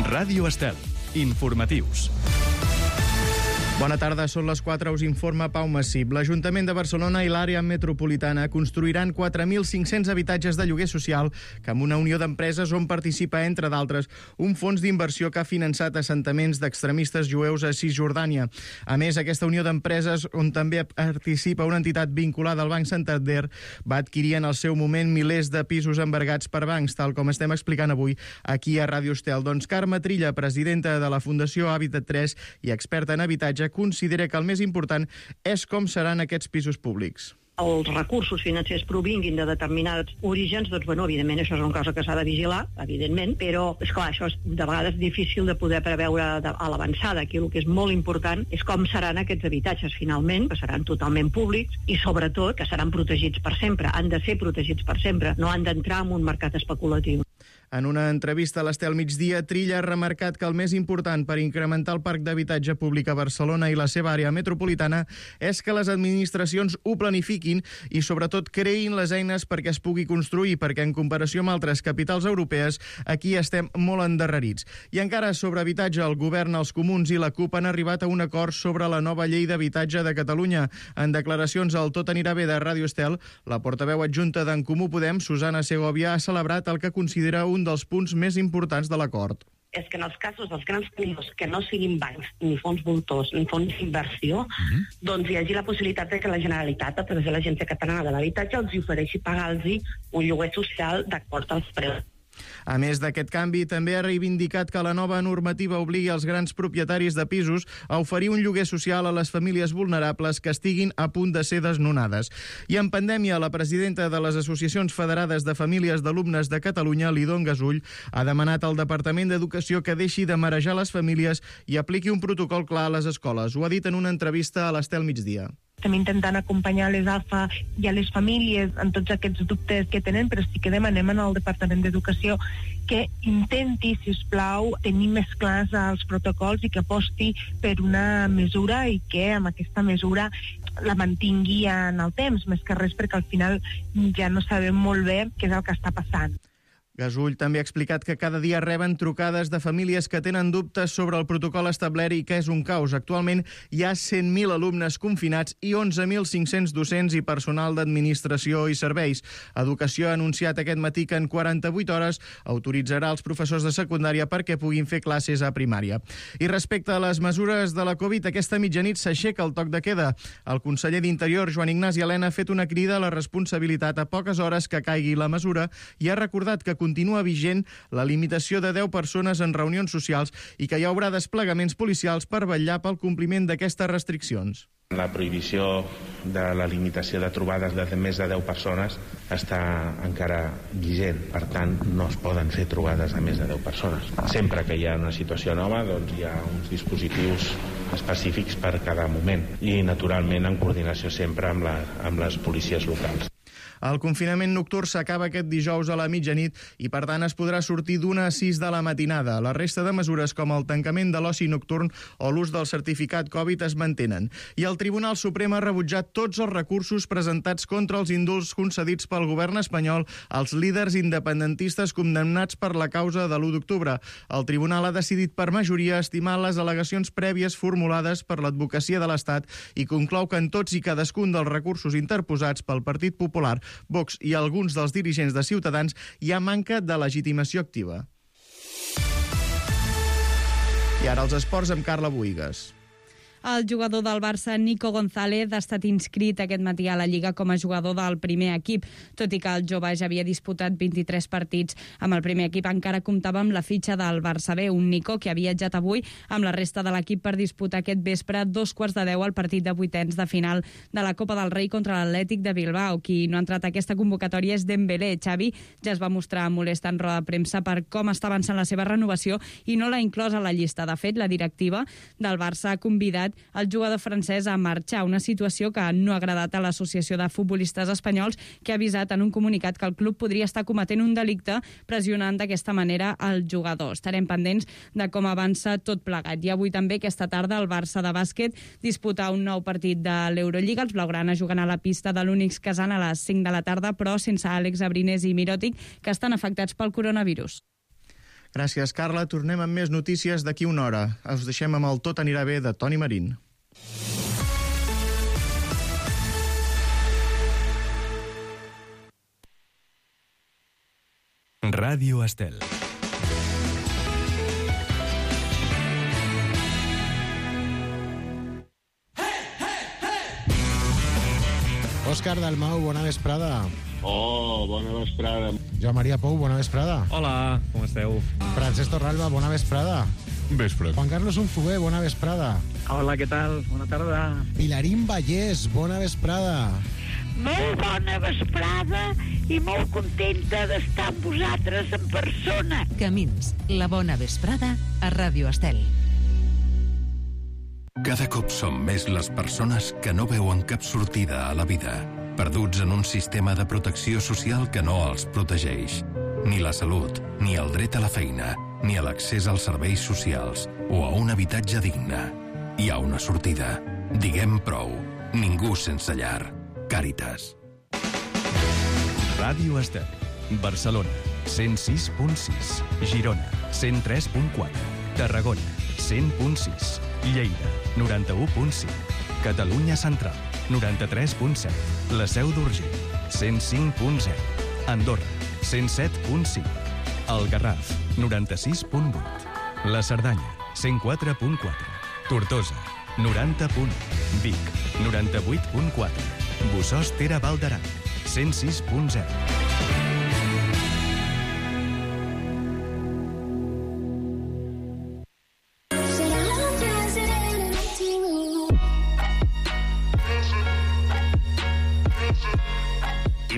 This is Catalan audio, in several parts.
Ràdio Estel. Informatius. Bona tarda, són les 4, us informa Pau Massip. L'Ajuntament de Barcelona i l'àrea metropolitana construiran 4.500 habitatges de lloguer social que amb una unió d'empreses on participa, entre d'altres, un fons d'inversió que ha finançat assentaments d'extremistes jueus a Cisjordània. A més, aquesta unió d'empreses, on també participa una entitat vinculada al Banc Santander, va adquirir en el seu moment milers de pisos embargats per bancs, tal com estem explicant avui aquí a Ràdio Estel. Doncs Carme Trilla, presidenta de la Fundació Hàbitat 3 i experta en habitatge, considera que el més important és com seran aquests pisos públics. Els recursos financers provinguin de determinats orígens, doncs, evidentment, això és una cosa que s'ha de vigilar, evidentment, però, esclar, això és de vegades difícil de poder preveure a l'avançada. Aquí el que és molt important és com seran aquests habitatges, finalment, que seran totalment públics i, sobretot, que seran protegits per sempre. Han de ser protegits per sempre, no han d'entrar en un mercat especulatiu. En una entrevista a l'Estel Migdia, Trilla ha remarcat que el més important per incrementar el parc d'habitatge públic a Barcelona i la seva àrea metropolitana és que les administracions ho planifiquin i, sobretot, creïn les eines perquè es pugui construir, perquè, en comparació amb altres capitals europees, aquí estem molt endarrerits. I encara sobre habitatge, el govern, els comuns i la CUP han arribat a un acord sobre la nova llei d'habitatge de Catalunya. En declaracions al Tot anirà bé de Ràdio Estel, la portaveu adjunta d'en Comú Podem, Susana Segovia, ha celebrat el que considera un dels punts més importants de l'acord. És que en els casos dels grans tenidors que no siguin bancs, ni fons voltors, ni fons d'inversió, doncs hi hagi la possibilitat de que la Generalitat, a través de l'Agència Catalana de l'Habitatge, els ofereixi pagar-los un lloguer social d'acord als preus. A més d'aquest canvi, també ha reivindicat que la nova normativa obligui els grans propietaris de pisos a oferir un lloguer social a les famílies vulnerables que estiguin a punt de ser desnonades. I en pandèmia, la presidenta de les Associacions Federades de Famílies d'Alumnes de Catalunya, Lidon Gasull, ha demanat al Departament d'Educació que deixi de marejar les famílies i apliqui un protocol clar a les escoles. Ho ha dit en una entrevista a l'Estel Migdia. Estem intentant acompanyar les AFA i a les famílies en tots aquests dubtes que tenen, però sí que demanem al Departament d'Educació que intenti, si us plau, tenir més clars els protocols i que aposti per una mesura i que amb aquesta mesura la mantingui en el temps, més que res perquè al final ja no sabem molt bé què és el que està passant. Gasull també ha explicat que cada dia reben trucades de famílies que tenen dubtes sobre el protocol establert i que és un caos. Actualment hi ha 100.000 alumnes confinats i 11.500 docents i personal d'administració i serveis. Educació ha anunciat aquest matí que en 48 hores autoritzarà els professors de secundària perquè puguin fer classes a primària. I respecte a les mesures de la Covid, aquesta mitjanit s'aixeca el toc de queda. El conseller d'Interior, Joan Ignasi Elena, ha fet una crida a la responsabilitat a poques hores que caigui la mesura i ha recordat que continua vigent la limitació de 10 persones en reunions socials i que hi haurà desplegaments policials per vetllar pel compliment d'aquestes restriccions. La prohibició de la limitació de trobades de més de 10 persones està encara vigent, per tant no es poden fer trobades a més de 10 persones. Sempre que hi ha una situació nova, doncs hi ha uns dispositius específics per cada moment i naturalment en coordinació sempre amb les policies locals. El confinament nocturn s'acaba aquest dijous a la mitjanit i, per tant, es podrà sortir d'1 a 6 de la matinada. La resta de mesures, com el tancament de l'oci nocturn o l'ús del certificat Covid, es mantenen. I el Tribunal Suprem ha rebutjat tots els recursos presentats contra els indults concedits pel govern espanyol als líders independentistes condemnats per la causa de l'1 d'octubre. El Tribunal ha decidit per majoria estimar les al·legacions prèvies formulades per l'advocacia de l'Estat i conclou que en tots i cadascun dels recursos interposats pel Partit Popular, Vox i alguns dels dirigents de Ciutadans hi ha manca de legitimació activa. I ara els esports amb Carla Buïgas. El jugador del Barça, Nico González, ha estat inscrit aquest matí a la Lliga com a jugador del primer equip. Tot i que el jove ja havia disputat 23 partits amb el primer equip, encara comptava amb la fitxa del Barça B, un Nico que ha viatjat avui amb la resta de l'equip per disputar aquest vespre 2:15 al partit de vuitens de final de la Copa del Rei contra l'Atlètic de Bilbao. Qui no ha entrat a aquesta convocatòria és Dembélé. Xavi ja es va mostrar molest en roda de premsa per com està avançant la seva renovació i no l'ha inclòs a la llista. De fet, la directiva del Barça ha convidat el jugador francès a marxar, una situació que no ha agradat a l'Associació de Futbolistes Espanyols, que ha avisat en un comunicat que el club podria estar cometent un delicte pressionant d'aquesta manera el jugador. Estarem pendents de com avança tot plegat. I avui també, aquesta tarda, el Barça de bàsquet disputa un nou partit de l'Eurolliga. Els blaugrana juguen a la pista de l'Únix Kazan a les 5 de la tarda, però sense Àlex Abrines i Mirotic, que estan afectats pel coronavirus. Gràcies, Carla. Tornem amb més notícies d'aquí una hora. Us deixem amb el Tot anirà bé de Toni Marín. Ràdio Estel. Òscar Dalmau, bona vesprada. Oh, bona vesprada. Joan Maria Pou, bona vesprada. Hola, com esteu? Francesc Torralba, bona vesprada. Vespre. Juan Carlos Unzué, bona vesprada. Hola, què tal? Bona tarda. Pilarín Vallès, bona vesprada. Molt bona vesprada i molt contenta d'estar amb vosaltres en persona. Camins, la bona vesprada a Ràdio Estel. Cada cop som més les persones que no veuen cap sortida a la vida, perduts en un sistema de protecció social que no els protegeix. Ni la salut, ni el dret a la feina, ni a l'accés als serveis socials o a un habitatge digne. Hi ha una sortida. Diguem prou. Ningú sense llar. Càritas. Ràdio Estel. Barcelona, 106.6. Girona, 103.4. Tarragona, 100.6. Lleida, 91.5. Catalunya Central, 93.7. La Seu d'Urgell, 105.0. Andorra, 107.5. El Garraf, 96.8. La Cerdanya, 104.4. Tortosa, 90.1. Vic, 98.4. Bossòst Tere Val d'Aran, 106.0.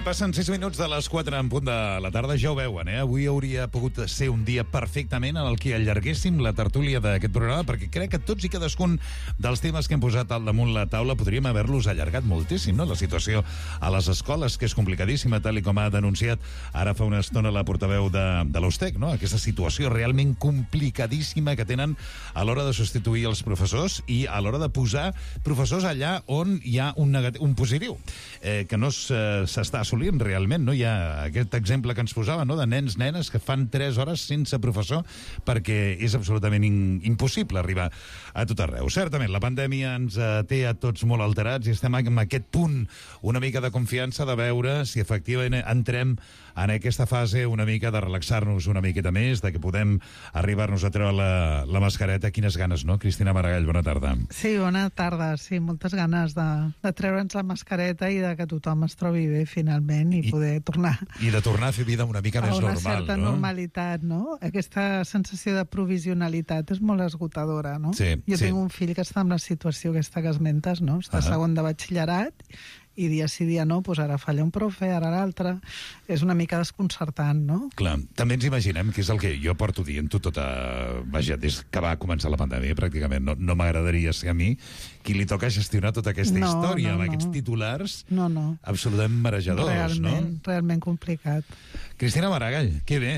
Passen 6 minuts de les 4 en punt de la tarda, ja ho veuen, Avui hauria pogut ser un dia perfectament en el que allarguéssim la tertúlia d'aquest programa, perquè crec que tots i cadascun dels temes que hem posat al damunt la taula podríem haver-los allargat moltíssim, no? La situació a les escoles, que és complicadíssima, tal i com ha denunciat ara fa una estona la portaveu de l'USTEC, no? Aquesta situació realment complicadíssima que tenen a l'hora de substituir els professors i a l'hora de posar professors allà on hi ha un positiu, que no s'està assolint realment, no? Hi ha aquest exemple que ens posava, no?, de nens, nenes que fan 3 hores sense professor perquè és absolutament impossible arribar a tot arreu. Certament, la pandèmia ens té a tots molt alterats i estem en aquest punt una mica de confiança de veure si efectivament entrem en aquesta fase una mica de relaxar-nos una miqueta més, de que podem arribar-nos a treure la mascareta. Quines ganes, no? Cristina Maragall, bona tarda. Sí, bona tarda. Sí, moltes ganes de treure'ns la mascareta i de que tothom es trobi bé finalment i poder tornar. I de tornar a fer vida una mica més normal, no? A una certa normalitat, no? Aquesta sensació de provisionalitat és molt esgotadora, no? Sí, jo tinc un fill que està en la situació aquesta que esmentes, no? Està segon de batxillerat i dia sí, dia no, doncs ara falla un profe, ara l'altre. És una mica desconcertant, no? Clar, també ens imaginem que és el que jo porto dient-ho vaja, des que va començar la pandèmia, pràcticament. No m'agradaria ser a mi qui li toca gestionar tota aquesta història amb aquests titulars absolutament marejadors, Realment complicat. Cristina Maragall, que bé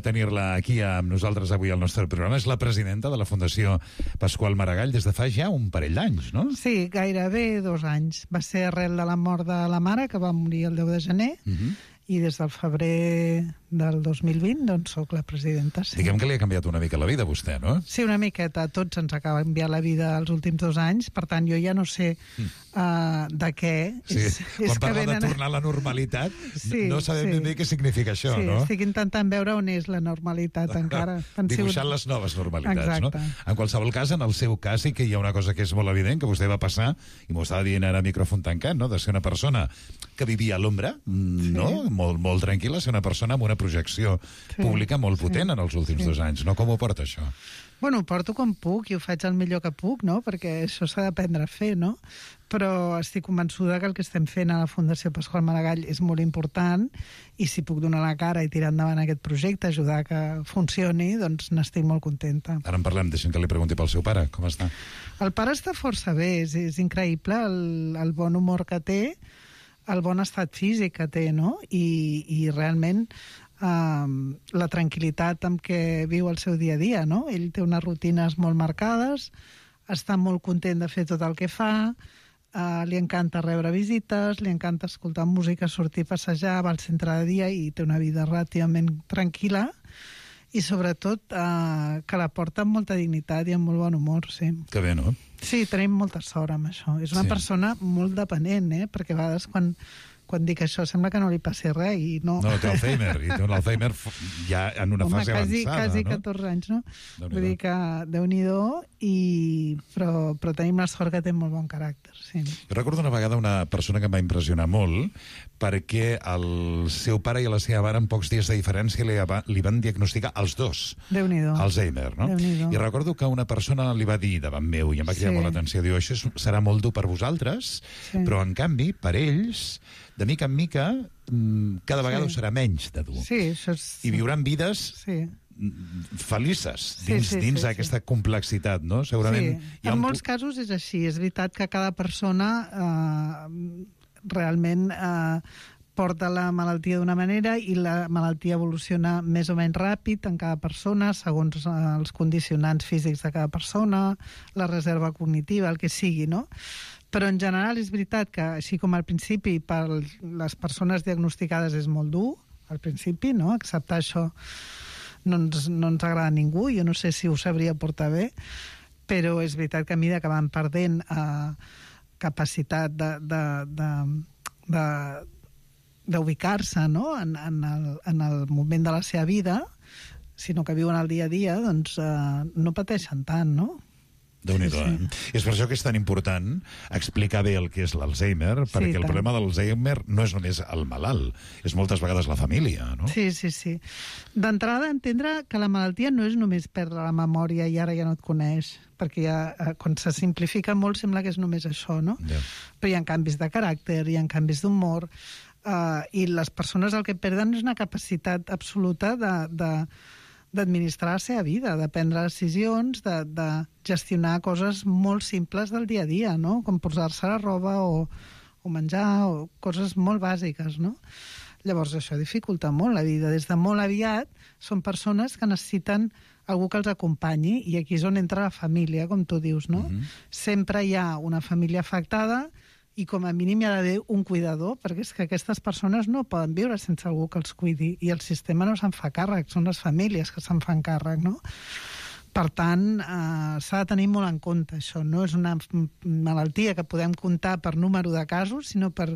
tenir-la aquí amb nosaltres avui al nostre programa. És la presidenta de la Fundació Pasqual Maragall des de fa ja un parell d'anys, no? Sí, gairebé 2 anys. Va ser arrel de la mort de la mare, que va morir el 10 de gener, i des del febrer del 2020, doncs, soc la presidenta. Sí. Diguem que li ha canviat una mica la vida a vostè, no? Sí, una miqueta. A tots ens ha canviat la vida els últims 2 anys, per tant, jo ja no sé de què. Sí. Quan parla de tornar a la normalitat, no sabem ben bé què significa això, no? Sí, estic intentant veure on és la normalitat encara. Dibuixant les noves normalitats, no? Exacte. En qualsevol cas, en el seu cas, sí que hi ha una cosa que és molt evident, que vostè va passar, i m'ho estava dient ara a micròfon tancat, no?, de ser una persona que vivia a l'ombra, no?, molt tranquil·la, ser una persona amb una projecció pública molt potent en els últims 2 anys, no? Com ho porta, això? Bueno, ho porto com puc i ho faig el millor que puc, no? Perquè això s'ha d'aprendre a fer, no? Però estic convençuda que el que estem fent a la Fundació Pasqual Maragall és molt important i si puc donar la cara i tirar endavant aquest projecte, ajudar que funcioni, doncs n'estic molt contenta. Ara en parlem, deixem que li pregunti pel seu pare, com està? El pare està força bé, és increïble el bon humor que té, el bon estat físic que té, no? I realment la tranquil·litat amb què viu el seu dia a dia, no? Ell té unes rutines molt marcades, està molt content de fer tot el que fa, li encanta rebre visites, li encanta escoltar música, sortir a passejar, va al centre de dia i té una vida relativament tranquil·la i sobretot que la porta amb molta dignitat i amb molt bon humor, sí. Que bé, no? Sí, tenim molta sort amb això. És una persona molt dependent, perquè a vegades quan dic això sembla que no li passi res i no. No, té Alzheimer, i té un Alzheimer ja en una fase avançada, quasi no? 14 anys, no? Vull dir que Déu-n'hi-do, però tenim la sort que té molt bon caràcter, sí. Jo recordo una vegada una persona que em va impressionar molt perquè el seu pare i la seva mare en pocs dies de diferència li van diagnosticar els dos Alzheimer, no? I recordo que una persona li va dir davant meu i em va cridar molt l'atenció, diu, això serà molt dur per vosaltres, però en canvi, per ells, de mica en mica, cada vegada ho serà menys de dur. Sí, això és... I viuran vides felices dins d'aquesta complexitat, no? Segurament... Sí, en molts casos és així. És veritat que cada persona realment porta la malaltia d'una manera i la malaltia evoluciona més o menys ràpid en cada persona, segons els condicionants físics de cada persona, la reserva cognitiva, el que sigui, no? Però en general és veritat que, així com al principi, per les persones diagnosticades és molt dur, al principi, no? Acceptar això no ens agrada a ningú, jo no sé si ho sabria portar bé, però és veritat que a mesura que van perdent capacitat d'ubicar-se, no? en el moment de la seva vida, sinó que viuen el dia a dia, doncs no pateixen tant, no? Déu-n'hi-do, És per això que és tan important explicar bé el que és l'Alzheimer, perquè el problema de l'Alzheimer no és només el malalt, és moltes vegades la família, no? Sí. D'entrada, entendre que la malaltia no és només perdre la memòria i ara ja no et coneix, perquè quan se simplifica molt sembla que és només això, no? Però hi ha canvis de caràcter, hi ha canvis d'humor, i les persones el que perden és una capacitat absoluta d'administrar la seva vida, de prendre decisions, de gestionar coses molt simples del dia a dia, no? Com posar-se la roba o menjar, o coses molt bàsiques, no? Llavors això dificulta molt la vida. Des de molt aviat són persones que necessiten algú que els acompanyi, i aquí és on entra la família, com tu dius, no? Sempre hi ha una família afectada i com a mínim hi ha d'haver un cuidador, perquè és que aquestes persones no poden viure sense algú que els cuidi, i el sistema no se'n fa càrrec, són les famílies que se'n fan càrrec, no? Per tant, s'ha de tenir molt en compte això. No és una malaltia que podem comptar per número de casos, sinó per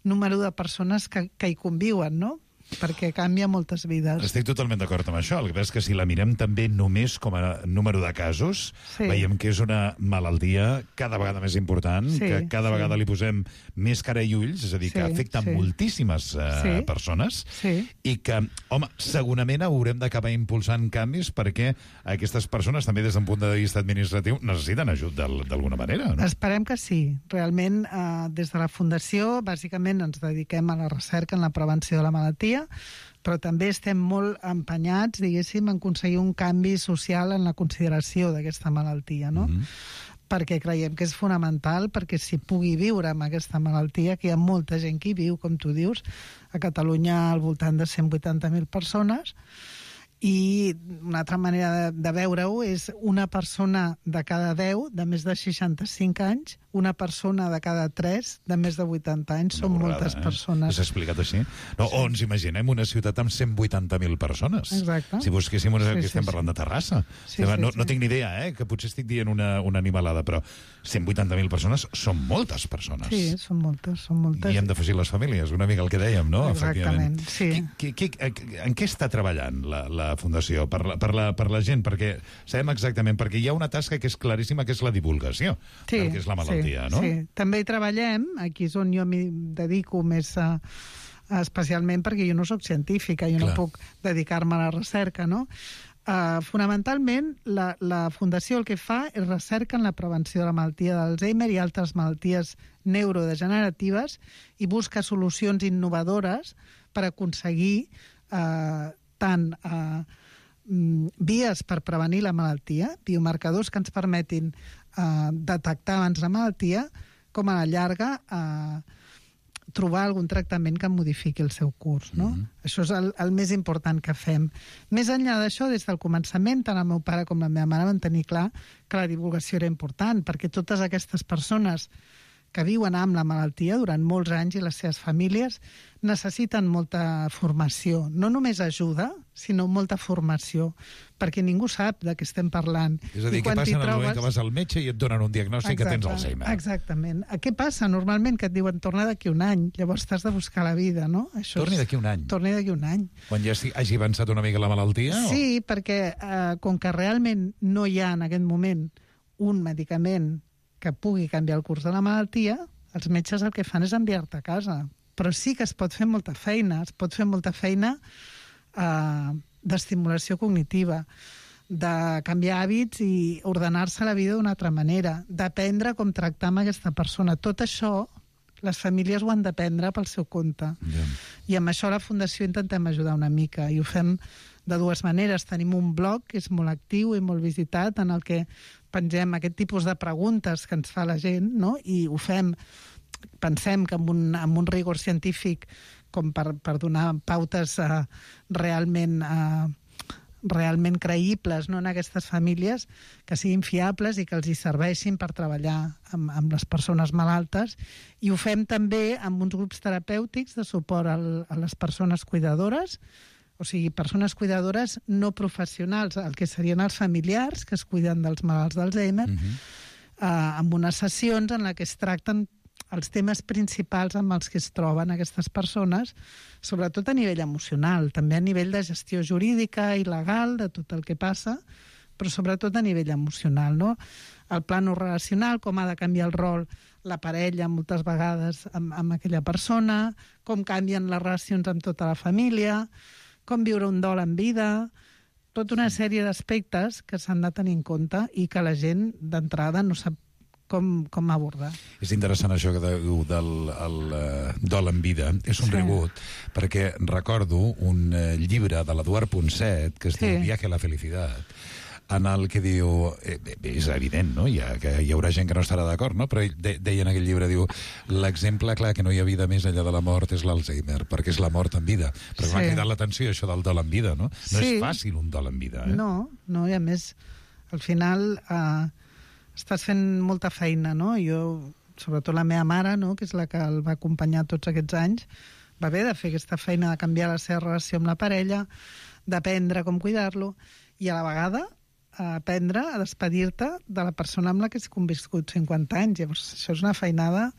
número de persones que hi conviuen, no? Perquè canvia moltes vides. Estic totalment d'acord amb això. El que passa és que si la mirem també només com a número de casos, veiem que és una malaltia cada vegada més important, que cada vegada li posem més cara i ulls, és a dir, que afecta moltíssimes persones, i que, home, segurament haurem d'acabar impulsant canvis perquè aquestes persones, també des d'un punt de vista administratiu, necessiten ajut d'alguna manera, no? Esperem que sí. Realment, des de la Fundació, bàsicament ens dediquem a la recerca en la prevenció de la malaltia, però també estem molt empenyats, diguéssim, en aconseguir un canvi social en la consideració d'aquesta malaltia, no? Perquè creiem que és fonamental perquè s'hi pugui viure amb aquesta malaltia, que hi ha molta gent que hi viu, com tu dius, a Catalunya al voltant de 180.000 persones, i una altra manera de veure-ho és una persona de cada 10 de més de 65 anys, una persona de cada 3 de més de 80 anys. Són moltes persones. S'ha explicat així? No, o ens imaginem una ciutat amb 180.000 persones. Exacte. Si busquéssim que estem parlant de Terrassa. No tinc ni idea, que potser estic dient una animalada, però 180.000 persones són moltes persones. Sí, són moltes. I hem d'afegir les famílies, una mica el que dèiem, no? Exactament, sí. En què està treballant la Fundació? Per la gent? Perquè sabem exactament, perquè hi ha una tasca que és claríssima, que és la divulgació del que és la malaltia. No? Sí, també hi treballem, aquí és on jo m'hi dedico més especialment perquè jo no sóc científica, jo no puc dedicar-me a la recerca, no? Fonamentalment, la Fundació el que fa és recerca en la prevenció de la malaltia d'Alzheimer i altres malalties neurodegeneratives i busca solucions innovadores per aconseguir tant vies per prevenir la malaltia, biomarcadors que ens permetin detectar abans la malaltia, com a la llarga trobar algun tractament que modifiqui el seu curs, no? Això és el més important que fem. Més enllà d'això, des del començament, tant el meu pare com la meva mare van tenir clar que la divulgació era important, perquè totes aquestes persones que viuen amb la malaltia durant molts anys i les seves famílies necessiten molta formació. No només ajuda, sinó molta formació, perquè ningú sap de què estem parlant. És a dir, què passa en el moment que vas al metge i et donen un diagnòstic que tens Alzheimer? Exactament. Què passa normalment? Que et diuen torna d'aquí un any, llavors t'has de buscar la vida, no? Torni d'aquí un any? Torni d'aquí un any. Quan ja hagi avançat una mica la malaltia? Sí, perquè com que realment no hi ha en aquest moment un medicament que pugui canviar el curs de la malaltia, els metges el que fan és enviar-te a casa. Però sí que es pot fer molta feina. Es pot fer molta feina d'estimulació cognitiva, de canviar hàbits i ordenar-se la vida d'una altra manera, d'aprendre com tractar amb aquesta persona. Tot això, les famílies ho han d'aprendre pel seu compte. I amb això a la Fundació intentem ajudar una mica, i ho fem de dues maneres. Tenim un blog que és molt actiu i molt visitat, en el que pengem aquest tipus de preguntes que ens fa la gent, no? I ho fem, pensem que amb un rigor científic com per donar pautes realment creïbles, no, en aquestes famílies, que siguin fiables i que els hi serveixin per treballar amb les persones malaltes. I ho fem també amb uns grups terapèutics de suport a les persones cuidadores, o sigui, persones cuidadores no professionals, el que serien els familiars que es cuiden dels malalts d'Alzheimer, amb unes sessions en què es tracten els temes principals amb els que es troben aquestes persones, sobretot a nivell emocional, també a nivell de gestió jurídica i legal de tot el que passa, però sobretot a nivell emocional, no? El plano relacional, com ha de canviar el rol la parella moltes vegades amb aquella persona, com canvien les relacions amb tota la família, com viure un dol en vida, tota una sèrie d'aspectes que s'han de tenir en compte i que la gent d'entrada no sap com abordar. És interessant això que diu del dol en vida. És un rebut, perquè recordo un llibre de l'Eduard Ponset que es diu Viaje a la Felicidad, en el que diu, és evident, no? Hi haurà gent que no estarà d'acord, no? Però deia en aquell llibre, diu, l'exemple clar que no hi ha vida més enllà de la mort és l'Alzheimer, perquè és la mort en vida. Però m'ha cridat l'atenció això del dol en vida, no? No és fàcil un dol en vida, eh? No, i a més, al final estàs fent molta feina, no? Jo, sobretot la meva mare, no?, que és la que el va acompanyar tots aquests anys, va haver de fer aquesta feina de canviar la seva relació amb la parella, d'aprendre com cuidar-lo, i a la vegada aprendre a despedir-te de la persona amb la que has conviscut 50 anys. Llavors, això és una feinada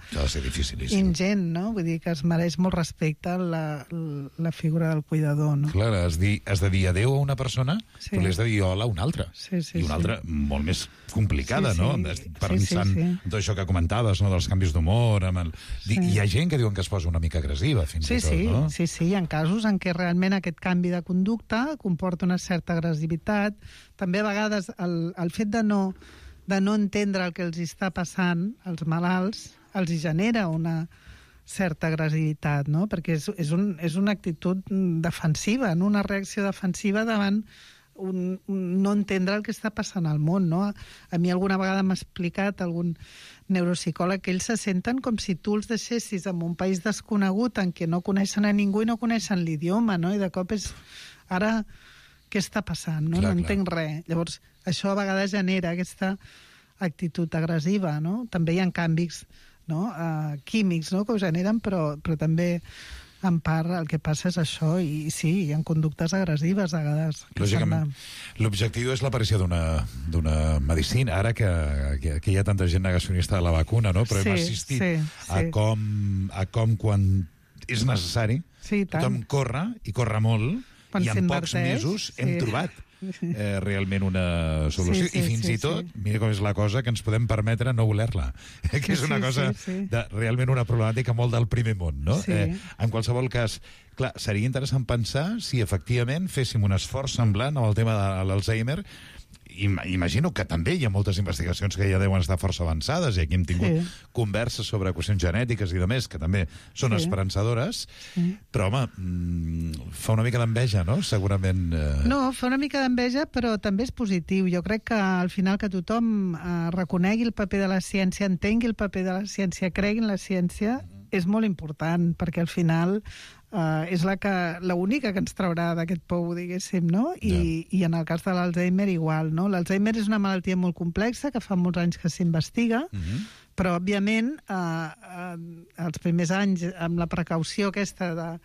ingent, no? Vull dir que es mereix molt respecte la figura del cuidador, no? Clar, has de dir adeu a una persona, però li has de dir hola a una altra. I una altra molt més complicada, no? Pensant tot això que comentaves, no?, dels canvis d'humor. Hi ha gent que diuen que es posa una mica agressiva, fins i tot, no? Sí, hi ha casos en què realment aquest canvi de conducta comporta una certa agressivitat. També a vegades el fet de no entendre el que els està passant als malalts els genera una certa agressivitat, no? Perquè és una actitud defensiva, no? Una reacció defensiva davant no entendre el que està passant al món, no? A mi alguna vegada m'ha explicat algun neuropsicòleg que ells se senten com si tu els deixessis en un país desconegut en què no coneixen a ningú i no coneixen l'idioma, no? I de cop és... Ara... què està passant, no? No entenc res. Llavors, això a vegades genera aquesta actitud agressiva, no? També hi ha canvis, no?, químics, no?, que ho generen, però també, en part, el que passa és això, i sí, hi ha conductes agressives a vegades. Lògicament, l'objectiu és l'aparició d'una medicina, ara que hi ha tanta gent negacionista de la vacuna, no?, però hem assistit a com quan és necessari, tothom corre, i corre molt, i en pocs mesos hem trobat realment una solució. I fins i tot, mira com és la cosa, que ens podem permetre no voler-la. Que és una cosa realment una problemàtica molt del primer món, no? En qualsevol cas, clar, seria interessant pensar si efectivament féssim un esforç semblant amb el tema de l'Alzheimer. Imagino que també hi ha moltes investigacions que ja deuen estar força avançades, i aquí hem tingut converses sobre qüestions genètiques i demés, que també són esperançadores, però, home, fa una mica d'enveja, no?, segurament. No, fa una mica d'enveja, però també és positiu. Jo crec que al final que tothom reconegui el paper de la ciència, entengui el paper de la ciència, cregui en la ciència, és molt important, perquè al final és l'única que ens traurà d'aquest pou, diguéssim, no? I en el cas de l'Alzheimer igual, no? L'Alzheimer és una malaltia molt complexa, que fa molts anys que s'investiga, Però, òbviament, els primers anys, amb la precaució aquesta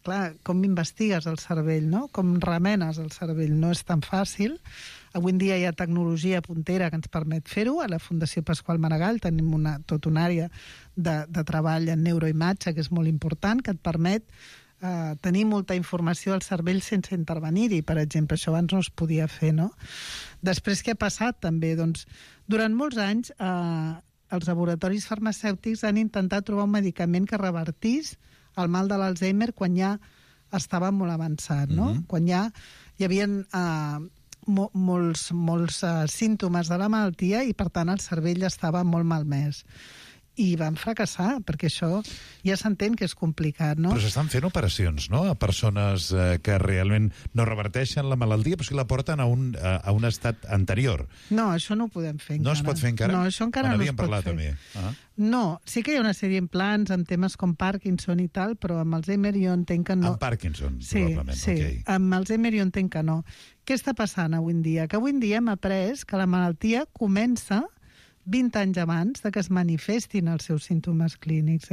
clar, com investigues el cervell, no? Com remenes el cervell, no és tan fàcil. Avui en dia hi ha tecnologia puntera que ens permet fer-ho. A la Fundació Pasqual Maragall tenim tota una àrea de treball en neuroimatge, que és molt important, que et permet tenir molta informació al cervell sense intervenir-hi, per exemple. Això abans no es podia fer, no? Després, què ha passat, també? Doncs, durant molts anys, els laboratoris farmacèutics han intentat trobar un medicament que revertís el mal de l'Alzheimer quan ja estava molt avançat, no? Quan ja hi havia molts símptomes de la malaltia i, per tant, el cervell estava molt malmès. I van fracassar, perquè això ja s'entén que és complicat, no? Però s'estan fent operacions, no?, a persones que realment no reverteixen la malaltia, però sí la porten a un estat anterior. No, això no ho podem fer encara. No es pot fer encara? No, això encara no es pot fer. També. No, sí que hi ha una sèrie d'implants amb temes com Parkinson i tal, però amb Alzheimer jo entenc que no. Amb Parkinson, sí, probablement. Sí, okay. Amb Alzheimer jo entenc que no. Què està passant avui en dia? Que avui en dia hem après que la malaltia comença 20 anys abans de que es manifestin els seus símptomes clínics,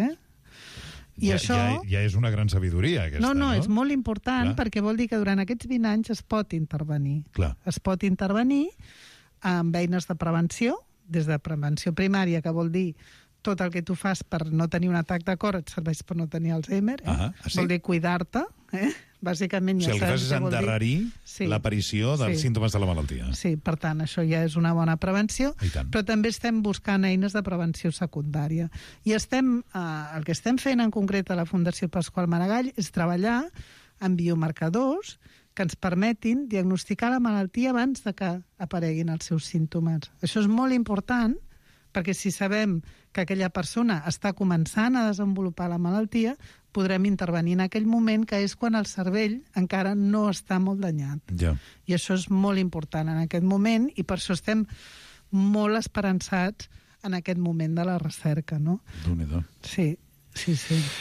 I això... Ja és una gran sabidoria, aquesta, no? No, és molt important, perquè vol dir que durant aquests 20 anys es pot intervenir. Clar. Es pot intervenir amb eines de prevenció, des de prevenció primària, que vol dir tot el que tu fas per no tenir un atac de cor et serveix per no tenir Alzheimer. Sí? Vol dir cuidar-te, Bàsicament, ja el que fas és endarrerir l'aparició dels símptomes de la malaltia. Sí, per tant, això ja és una bona prevenció, però també estem buscant eines de prevenció secundària. I el que estem fent en concret a la Fundació Pasqual Maragall és treballar amb biomarcadors que ens permetin diagnosticar la malaltia abans de que apareguin els seus símptomes. Això és molt important, perquè si sabem que aquella persona està començant a desenvolupar la malaltia, podrem intervenir en aquell moment, que és quan el cervell encara no està molt danyat. Ja. I això és molt important en aquest moment, i per això estem molt esperançats en aquest moment de la recerca, no? Déu-n'hi-do. Sí.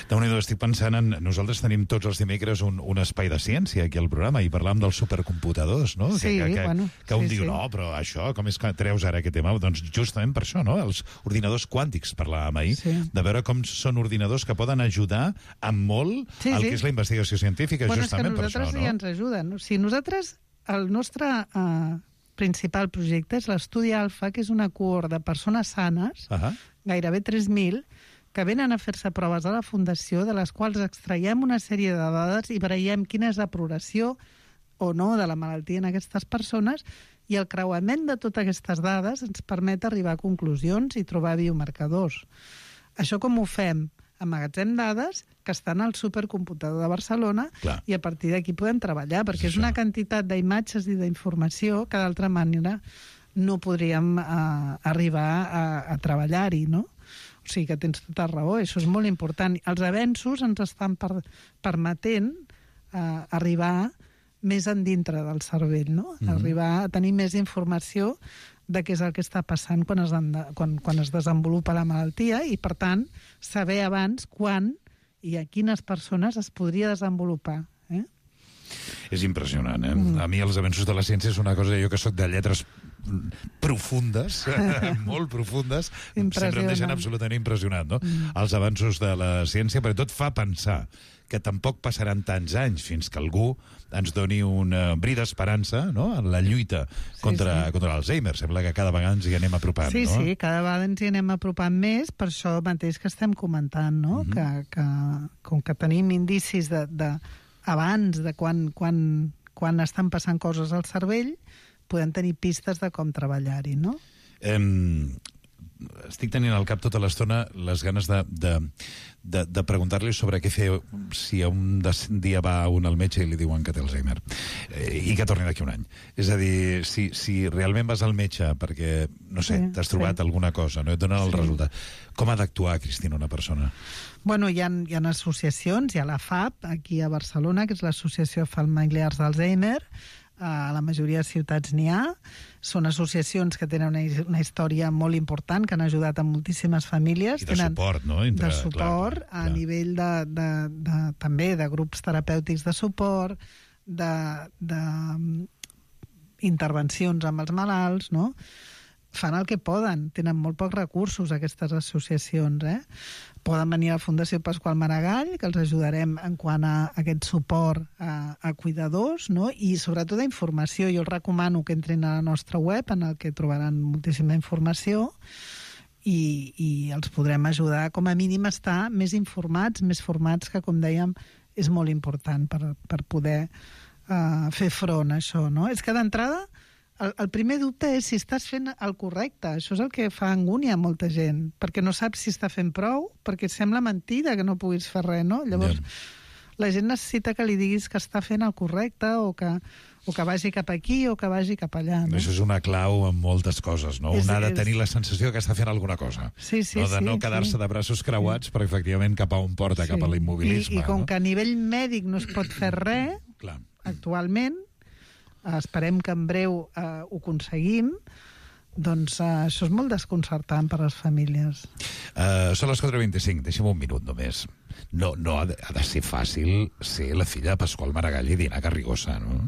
Déu-n'hi-do, estic pensant en... Nosaltres tenim tots els dimecres un espai de ciència aquí al programa i parlàvem dels supercomputadors, no? Sí, que un diu, no, però això, com és que treus ara aquest tema? Doncs justament per això, no? Els ordinadors quàntics, parlàvem ahir, de veure com són ordinadors que poden ajudar amb molt el que és la investigació científica, justament per això, no? És que nosaltres ja ens ajuden. O sigui, nosaltres, el nostre principal projecte és l'estudi Alfa, que és una cohort de persones sanes, gairebé 3.000, que venen a fer-se proves a la Fundació, de les quals extraiem una sèrie de dades i veiem quina és la progressió o no de la malaltia en aquestes persones, i el creuament de totes aquestes dades ens permet arribar a conclusions i trobar biomarcadors. Això com ho fem? Amagatzem dades que estan al supercomputador de Barcelona. Clar. I a partir d'aquí podem treballar, perquè és una quantitat d'imatges i d'informació que d'altra manera no podríem arribar a treballar-hi, no? O sigui que tens tota raó, això és molt important. Els avenços ens estan permetent arribar més endintre del cervell, no? Arribar a tenir més informació de què és el que està passant quan es desenvolupa la malaltia i, per tant, saber abans quan i a quines persones es podria desenvolupar. És impressionant, A mi els avenços de la ciència és una cosa, jo que soc de lletres profundes, molt profundes, sempre em deixen absolutament impressionat, no? Els avanços de la ciència, perquè tot fa pensar que tampoc passaran tants anys fins que algú ens doni un bri d'esperança, no?, en la lluita contra l'Alzheimer. Sembla que cada vegada ens hi anem apropant, no? Sí, cada vegada ens hi anem apropant més, per això mateix que estem comentant, no? Que com que tenim indicis abans de quan estan passant coses al cervell, podem tenir pistes de com treballar-hi, no? Estic tenint al cap tota l'estona les ganes de preguntar-li sobre què fer si un dia va un al metge i li diuen que té Alzheimer i que torni d'aquí un any. És a dir, si realment vas al metge perquè, no sé, t'has trobat alguna cosa, no et donen el resultat, com ha d'actuar, Cristina, una persona? Bueno, hi ha associacions, hi ha la FAP, aquí a Barcelona, que és l'Associació Familiars d'Alzheimer. A la majoria de ciutats n'hi ha. Són associacions que tenen una història molt important, que han ajudat a moltíssimes famílies. I de suport, no? De suport, a nivell també de grups terapèutics de suport, d'intervencions amb els malalts, no? fan el que poden. Tenen molt pocs recursos, aquestes associacions, Poden venir a la Fundació Pasqual Maragall, que els ajudarem en quant a aquest suport a cuidadors, no? I sobretot a informació. Jo els recomano que entrin a la nostra web, en el que trobaran moltíssima informació, i els podrem ajudar, com a mínim, a estar més informats, més formats, que, com dèiem, és molt important per poder fer front a això, no? És que d'entrada el primer dubte és si estàs fent el correcte. Això és el que fa angúnia a molta gent, perquè no saps si està fent prou, perquè sembla mentida que no puguis fer res, no? Llavors, la gent necessita que li diguis que està fent el correcte o que vagi cap aquí o que vagi cap allà, no? Això és una clau en moltes coses, no? Un ha de tenir la sensació que està fent alguna cosa. Sí, no? De no quedar-se de braços creuats, però efectivament cap a on porta, cap a l'immobilisme. I com que a nivell mèdic no es pot fer res, actualment, esperem que en breu ho aconseguim, doncs això és molt desconcertant per a les famílies. Són les 4:25, deixa'm un minut només. No ha de ser fàcil ser la filla de Pasqual Maragall i Diana Garrigosa, no?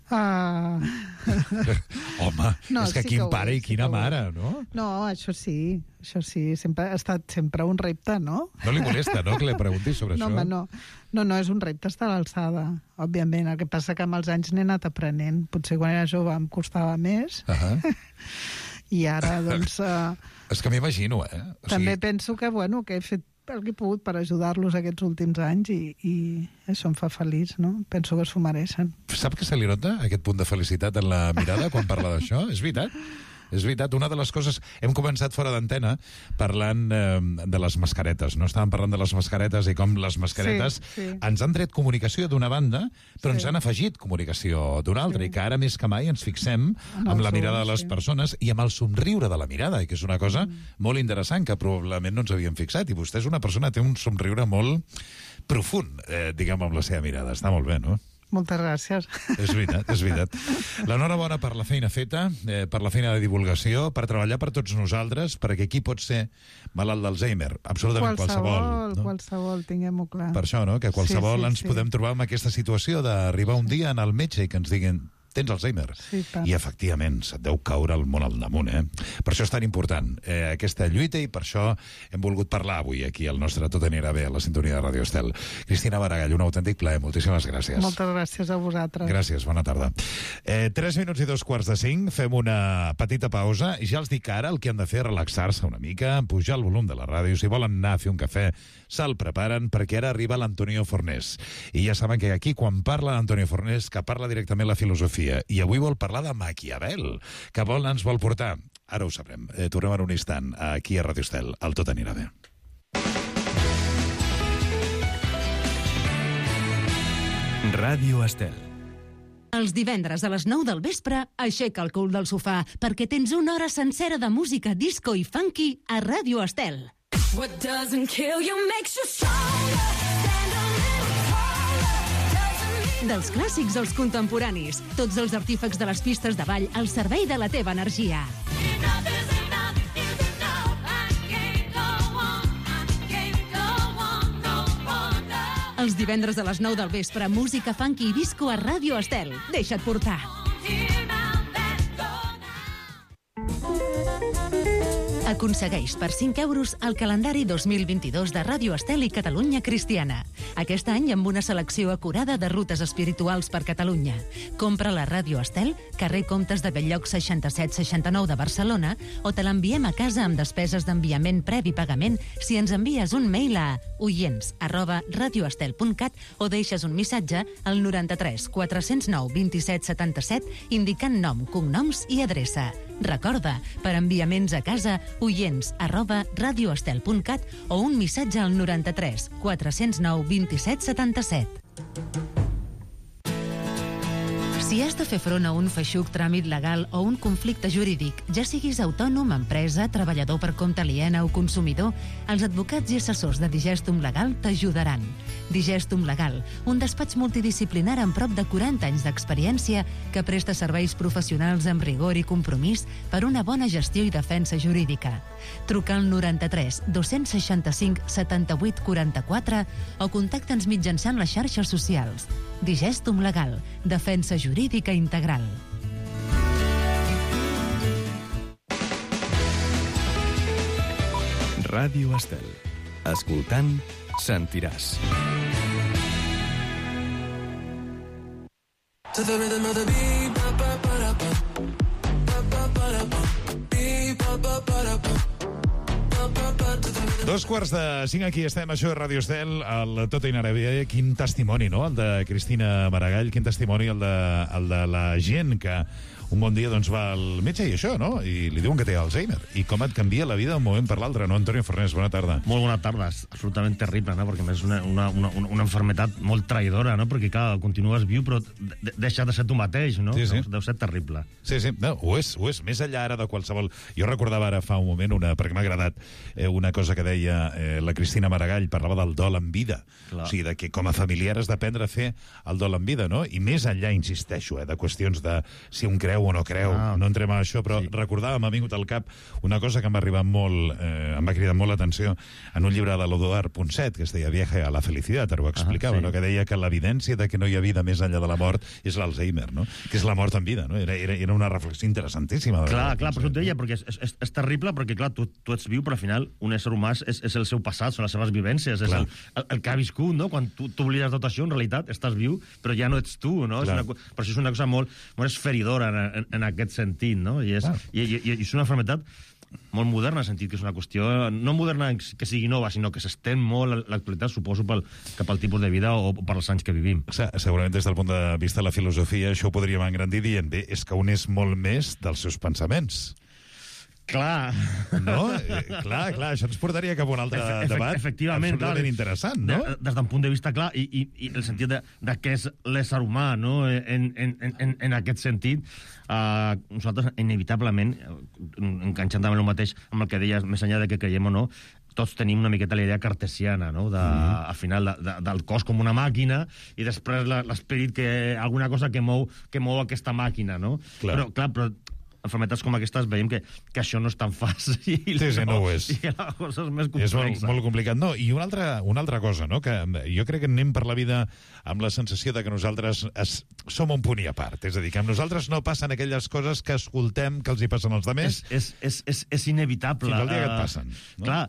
Home, no, és que quin pare i quina mare, no? No, això sí, ha estat sempre un repte, no? No li molesta, no?, que li preguntis sobre això? Home, no, és un repte estar a l'alçada, òbviament. El que passa que amb els anys n'he anat aprenent. Potser quan era jove em costava més, i ara, doncs... És que m'imagino, També penso que he fet el que he pogut per ajudar-los aquests últims anys i això em fa feliç, no? Penso que s'ho mereixen. Sap que se li nota aquest punt de felicitat en la mirada quan parla d'això? És veritat? És veritat, una de les coses... Hem començat fora d'antena parlant de les mascaretes, no? Estàvem parlant de les mascaretes i com les mascaretes ens han tret comunicació d'una banda, però ens han afegit comunicació d'una altra, i que ara més que mai ens fixem amb la mirada de les persones i amb el somriure de la mirada, i que és una cosa molt interessant, que probablement no ens havíem fixat, i vostè és una persona que té un somriure molt profund, diguem, amb la seva mirada. Està molt bé, no? Moltes gràcies. És veritat. L'enhorabona per la feina feta, per la feina de divulgació, per treballar per tots nosaltres, perquè qui pot ser malalt d'Alzheimer? Absolutament qualsevol. Qualsevol, tinguem-ho clar. Per això, no?, que qualsevol ens podem trobar en aquesta situació d'arribar un dia en el metge i que ens diguin tens Alzheimer. I efectivament, se't deu caure el món al damunt, Per això és tan important aquesta lluita, i per això hem volgut parlar avui aquí al nostre Tot anirà bé, a la sintonia de Ràdio Estel. Cristina Maragall, un autèntic plaer. Moltíssimes gràcies. Moltes gràcies a vosaltres. Gràcies, bona tarda. 3 minuts i 2:45, fem una petita pausa, i ja els dic ara el que han de fer, relaxar-se una mica, pujar el volum de la ràdio, si volen anar a fer un cafè, se'l preparen, perquè ara arriba l'Antonio Fornés. I ja saben que aquí, quan parla l'Antonio Fornés, que parla directament la filosofia, i avui vol parlar de Maquiavel, que ens vol portar. Ara ho sabrem. Tornem en un instant aquí a Ràdio Estel. El Tot anirà bé. Ràdio Estel. Els divendres a les 9 del vespre, aixeca el cul del sofà, perquè tens una hora sencera de música disco i funky a Ràdio Estel. What doesn't kill you makes you stronger. Dels clàssics als contemporanis, tots els artífecs de les pistes de ball al servei de la teva energia. Els divendres a les 9 del vespre, música funky i disco a Ràdio Estel. Deixa't portar. Aconsegueix per 5 euros el calendari 2022 de Ràdio Estel i Catalunya Cristiana. Aquest any amb una selecció acurada de rutes espirituals per Catalunya. Compra la Ràdio Estel, carrer Comtes de Belllloc 6769 de Barcelona, o te l'enviem a casa amb despeses d'enviament previ pagament si ens envies un mail a oients@radioestel.cat o deixes un missatge al 93 409 27 77 indicant nom, cognoms i adreça. Recorda, per enviaments a casa, oients@radioestel.cat o un missatge al 93 409 27 77. Si has de fer front a un feixuc tràmit legal o un conflicte jurídic, ja siguis autònom, empresa, treballador per compte aliena o consumidor, els advocats i assessors de Digestum Legal t'ajudaran. Digestum Legal, un despatx multidisciplinar amb prop de 40 anys d'experiència que presta serveis professionals amb rigor i compromís per una bona gestió i defensa jurídica. Truca al 93 265 78 44 o contacta'ns mitjançant les xarxes socials. Digestum Legal, defensa jurídica integral. Ràdio Estel. Escoltant, sentiràs. To the rhythm of the beat, ba ba ba da ba, ba ba ba da ba, beat ba ba ba da ba, ba ba ba to the rhythm. 2:45, aquí estem, això és Ràdio Estel, el Tot in Arabia. Quin testimoni, no?, el de Cristina Maragall, quin testimoni el de la gent que un bon dia doncs va al metge i això, no?, i li diuen que té Alzheimer. I com et canvia la vida d'un moment per l'altre, no, Antonio Fornés? Bona tarda. Molt bona tarda, és absolutament terrible, no?, perquè és una enfermetat molt traïdora, no?, perquè, clar, continues viu, però deixa de ser tu mateix, no? Sí, sí. Deu ser terrible. Sí, sí, no, ho és, més enllà ara de qualsevol... Jo recordava ara fa un moment, perquè m'ha agradat, una cosa que deia la Cristina Maragall, parlava del dol en vida. Clar. O sigui, de que com a familiar has d'aprendre a fer el dol en vida, no? I més enllà, insisteixo, de qüestions de si un creu o no creu, no entrem a això, però sí. Recordava, m'ha vingut al cap una cosa que em va arribar molt, em va cridar molt l'atenció en un llibre de l'Eduard Ponset, que es deia Viaje a la felicitat, ho explicava, sí. No? Que deia que l'evidència de que no hi ha vida més enllà de la mort és l'Alzheimer, no? Que és la mort en vida, no? Era una reflexió interessantíssima. Clar, per això et deia, perquè és terrible, perquè, clar, tu ets viu, però al final un ésser humà és el seu passat, són les seves vivències, és el que ha viscut, no? Quan tu t'oblides tot això, en realitat, estàs viu, però ja no ets tu, no? Per això és una cosa molt esferidora en aquest sentit, no? I és una malaltia molt moderna, en el sentit que és una qüestió no moderna que sigui nova, sinó que s'estén molt l'actualitat, suposo, cap al tipus de vida o per als anys que vivim. Segurament des del punt de vista de la filosofia això ho podríem engrandir dient, bé, és que un és molt més dels seus pensaments. Clar. No? Clar, això ens portaria cap a un altre debat absolutament interessant, no? Des d'un punt de vista clar, i el sentit de què és l'ésser humà, no? En aquest sentit, nosaltres, inevitablement, enganxant també el mateix amb el que deies, més enllà de que creiem o no, tots tenim una miqueta la idea cartesiana, no? Al final, del cos com una màquina i després l'esperit, que alguna cosa que mou aquesta màquina, no? Però enfermetats com aquestes veiem que això no és tan fàcil. Sí, no ho és. I que la cosa és més complexa. És molt complicat. No, i una altra cosa, no? Que jo crec que anem per la vida amb la sensació de que nosaltres som un punt i a part. És a dir, que amb nosaltres no passen aquelles coses que escoltem que els hi passen als altres. És inevitable. Fins al dia que et passen. No? Clar,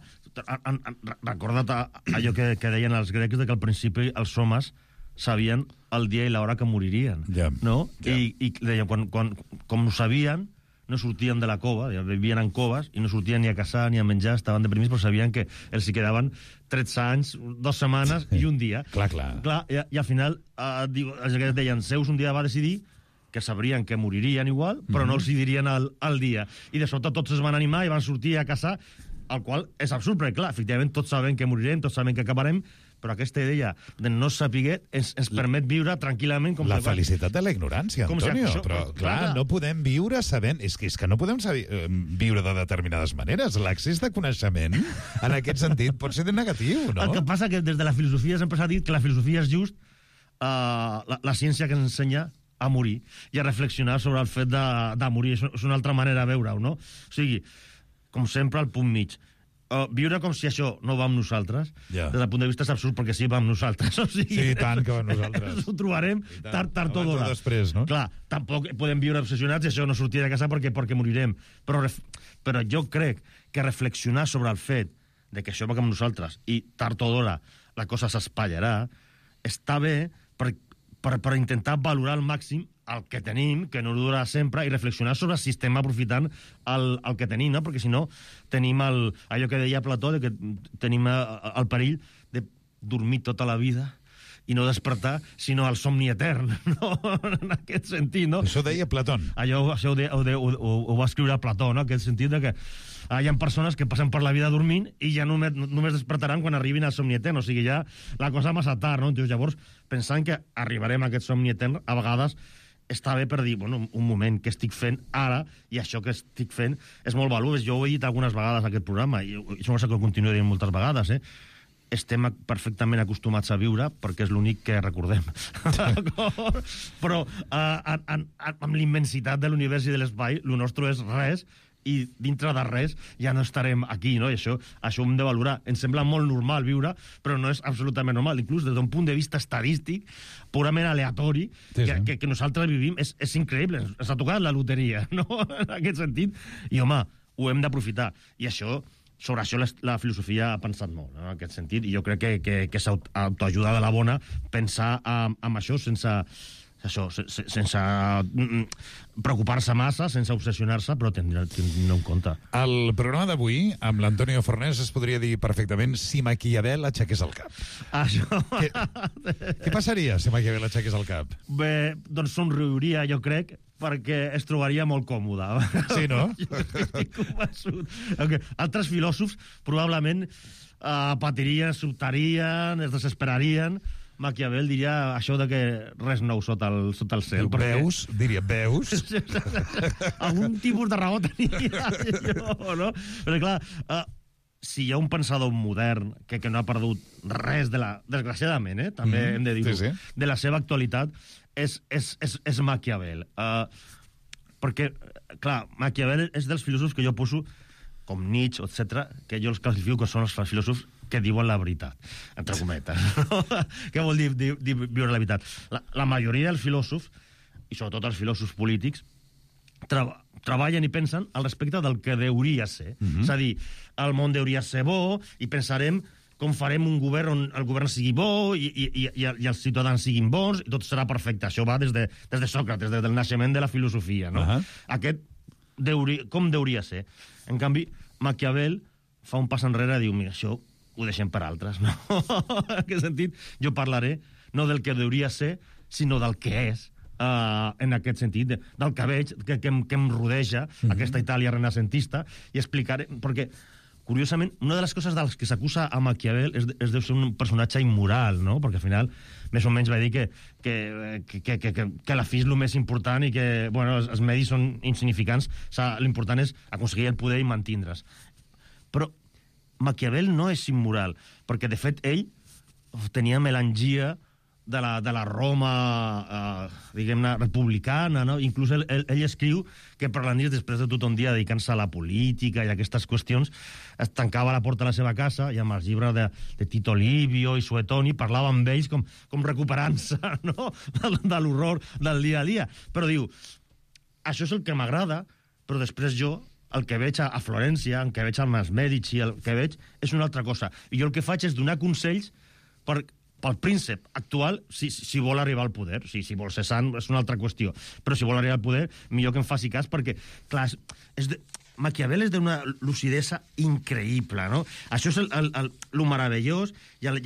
recorda't allò que deien els grecs, de que al principi els homes sabien el dia i l'hora que moririen. No? I deien, com ho sabien, no sortien de la cova, vivien en coves i no sortien ni a caçar ni a menjar, estaven deprimits, però sabien que els hi quedaven 13 anys, 2 setmanes i un dia. Clar. I al final, els que deien, Zeus un dia va decidir que sabrien que moririen igual, però no els hi dirien el dia. I de sobte tots es van animar i van sortir a caçar, el qual és absurd, perquè clar, efectivament tots sabem que morirem, tots sabem que acabarem, però aquesta idea de no saber ens permet viure tranquil·lament... La felicitat de la ignorància, Antonio. Però, clar, no podem viure sabent... És que no podem viure de determinades maneres. L'accés de coneixement, en aquest sentit, pot ser negatiu, no? El que passa que des de la filosofia sempre s'ha dit que la filosofia és just la ciència que ens ensenya a morir i a reflexionar sobre el fet de morir. És una altra manera de veure-ho, no? O sigui, com sempre, al punt mig. Viure com si això no va amb nosaltres, des del punt de vista és absurd, perquè sí va amb nosaltres. O sigui, sí, tant que va amb nosaltres. Ho trobarem tard o d'hora. Després, no? Clar, tampoc podem viure obsessionats i això no sortir de casa perquè morirem. Però jo crec que reflexionar sobre el fet de que això va amb nosaltres i tard o d'hora la cosa s'espatllarà, està bé per intentar valorar al màxim el que tenim, que no durarà sempre, i reflexionar sobre si estem aprofitant el que tenim, no? Perquè si no, tenim allò que deia Plató, de que tenim el perill de dormir tota la vida i no despertar, sinó el somni etern, no? En aquest sentit, no? Això deia Plató. Això ho va escriure Plató, no? En aquest sentit de que hi ha persones que passen per la vida dormint i ja només despertaran quan arribin al somni etern, o sigui, ja la cosa massa tard, no? Llavors, pensant que arribarem a aquest somni etern, a vegades està bé per dir, bueno, un moment, què estic fent ara, i això que estic fent és molt valuós. Jo ho he dit algunes vegades a aquest programa, i això que ho continuo dient moltes vegades, estem perfectament acostumats a viure perquè és l'únic que recordem. Però amb l'immensitat de l'univers i de l'espai, el nostre és res, i dintre de res ja no estarem aquí, no? I això ho hem de valorar. Ens sembla molt normal viure, però no és absolutament normal. Inclús des d'un punt de vista estadístic, purament aleatori, que nosaltres vivim, és increïble. Ens ha tocat la loteria, no? En aquest sentit. I, home, ho hem d'aprofitar. I això sobre això la filosofia ha pensat molt, no? En aquest sentit, i jo crec que és autoajuda de la bona pensar en això sense preocupar-se massa, sense obsessionar-se, però tenir en compte. El programa d'avui, amb l'Antonio Fornés, es podria dir perfectament si Maquiavel aixequés el cap. Això... Què passaria si Maquiavel aixequés el cap? Bé, doncs somriuria, jo crec, perquè es trobaria molt còmode. Sí, no? Jo estic convençut. Altres filòsofs probablement patirien, sobtarien, es desesperarien. Maquiavel diria això de que res nou sota el cel. Veus? Diria, veus? Algun tipus de raó tenia jo, no? Però clar, si hi ha un pensador modern que no ha perdut res de la... Desgraciadament, també hem de dir-ho, sí. de la seva actualitat, és Maquiavel. Perquè, clar, Maquiavel és dels filòsofs que jo poso, com Nietzsche, etc., que jo els classifico que són els filòsofs que diuen la veritat, entre cometes. Què vol dir viure la veritat? La majoria dels filòsofs, i sobretot els filòsofs polítics, treballen i pensen al respecte del que hauria ser. És a dir, el món hauria ser bo i pensarem com farem un govern on el govern sigui bo i els ciutadans siguin bons i tot serà perfecte. Això va des de Sòcrates, des del naixement de la filosofia, no? Aquest, com hauria ser? En canvi, Maquiavel fa un pas enrere i diu, mira, això ho deixem per altres, no? En aquest sentit, jo parlaré no del que hauria ser, sinó del que és, en aquest sentit, del que veig, que em rodeja, aquesta Itàlia renacentista, i explicaré, perquè, curiosament, una de les coses de les que s'acusa a Maquiavel és deu ser un personatge immoral, no? Perquè al final, més o menys va dir que la fi és el més important i que, bueno, els medis són insignificants, l'important és aconseguir el poder i mantindre's. Però Maquiavel no és immoral, perquè, de fet, ell tenia melangia de la Roma, diguem-ne, republicana, no? Inclús ell escriu que per la nit, després de tot un dia dedicant-se a la política i a aquestes qüestions, es tancava la porta a la seva casa i amb els llibres de Tito Livio i Suetoni parlava amb ells com recuperant-se, no?, de l'horror del dia a dia. Però diu, això és el que m'agrada, però després jo el que veig a Florència, el que veig amb els Medici, el que veig és una altra cosa. I jo el que faig és donar consells pel príncep actual si vol arribar al poder. Si vol ser sant és una altra qüestió. Però si vol arribar al poder, millor que em faci cas perquè, clar, Maquiavel és d'una lucidesa increïble, no? Això és el meravellós i al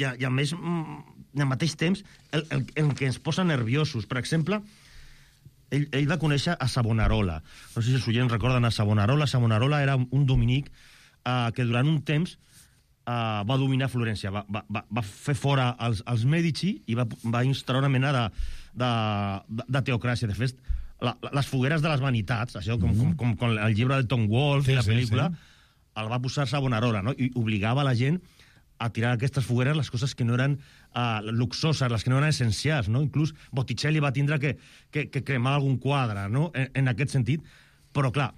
mateix temps el que ens posa nerviosos. Per exemple, ell va conèixer a Savonarola. No sé si els oients recorden a Savonarola. Savonarola era un dominic que durant un temps va dominar Florència. Va fer fora els Medici i va instaurar una mena de teocràcia. De fet, les fogueres de les vanitats, això com el llibre de Tom Wolfe i la pel·lícula, el va posar Savonarola, no? I obligava la gent a tirar aquestes fogueres les coses que no eren luxoses, les que no eren essencials, no? Inclús Botticelli va tindre que cremar algun quadre, no?, en aquest sentit. Però, clar,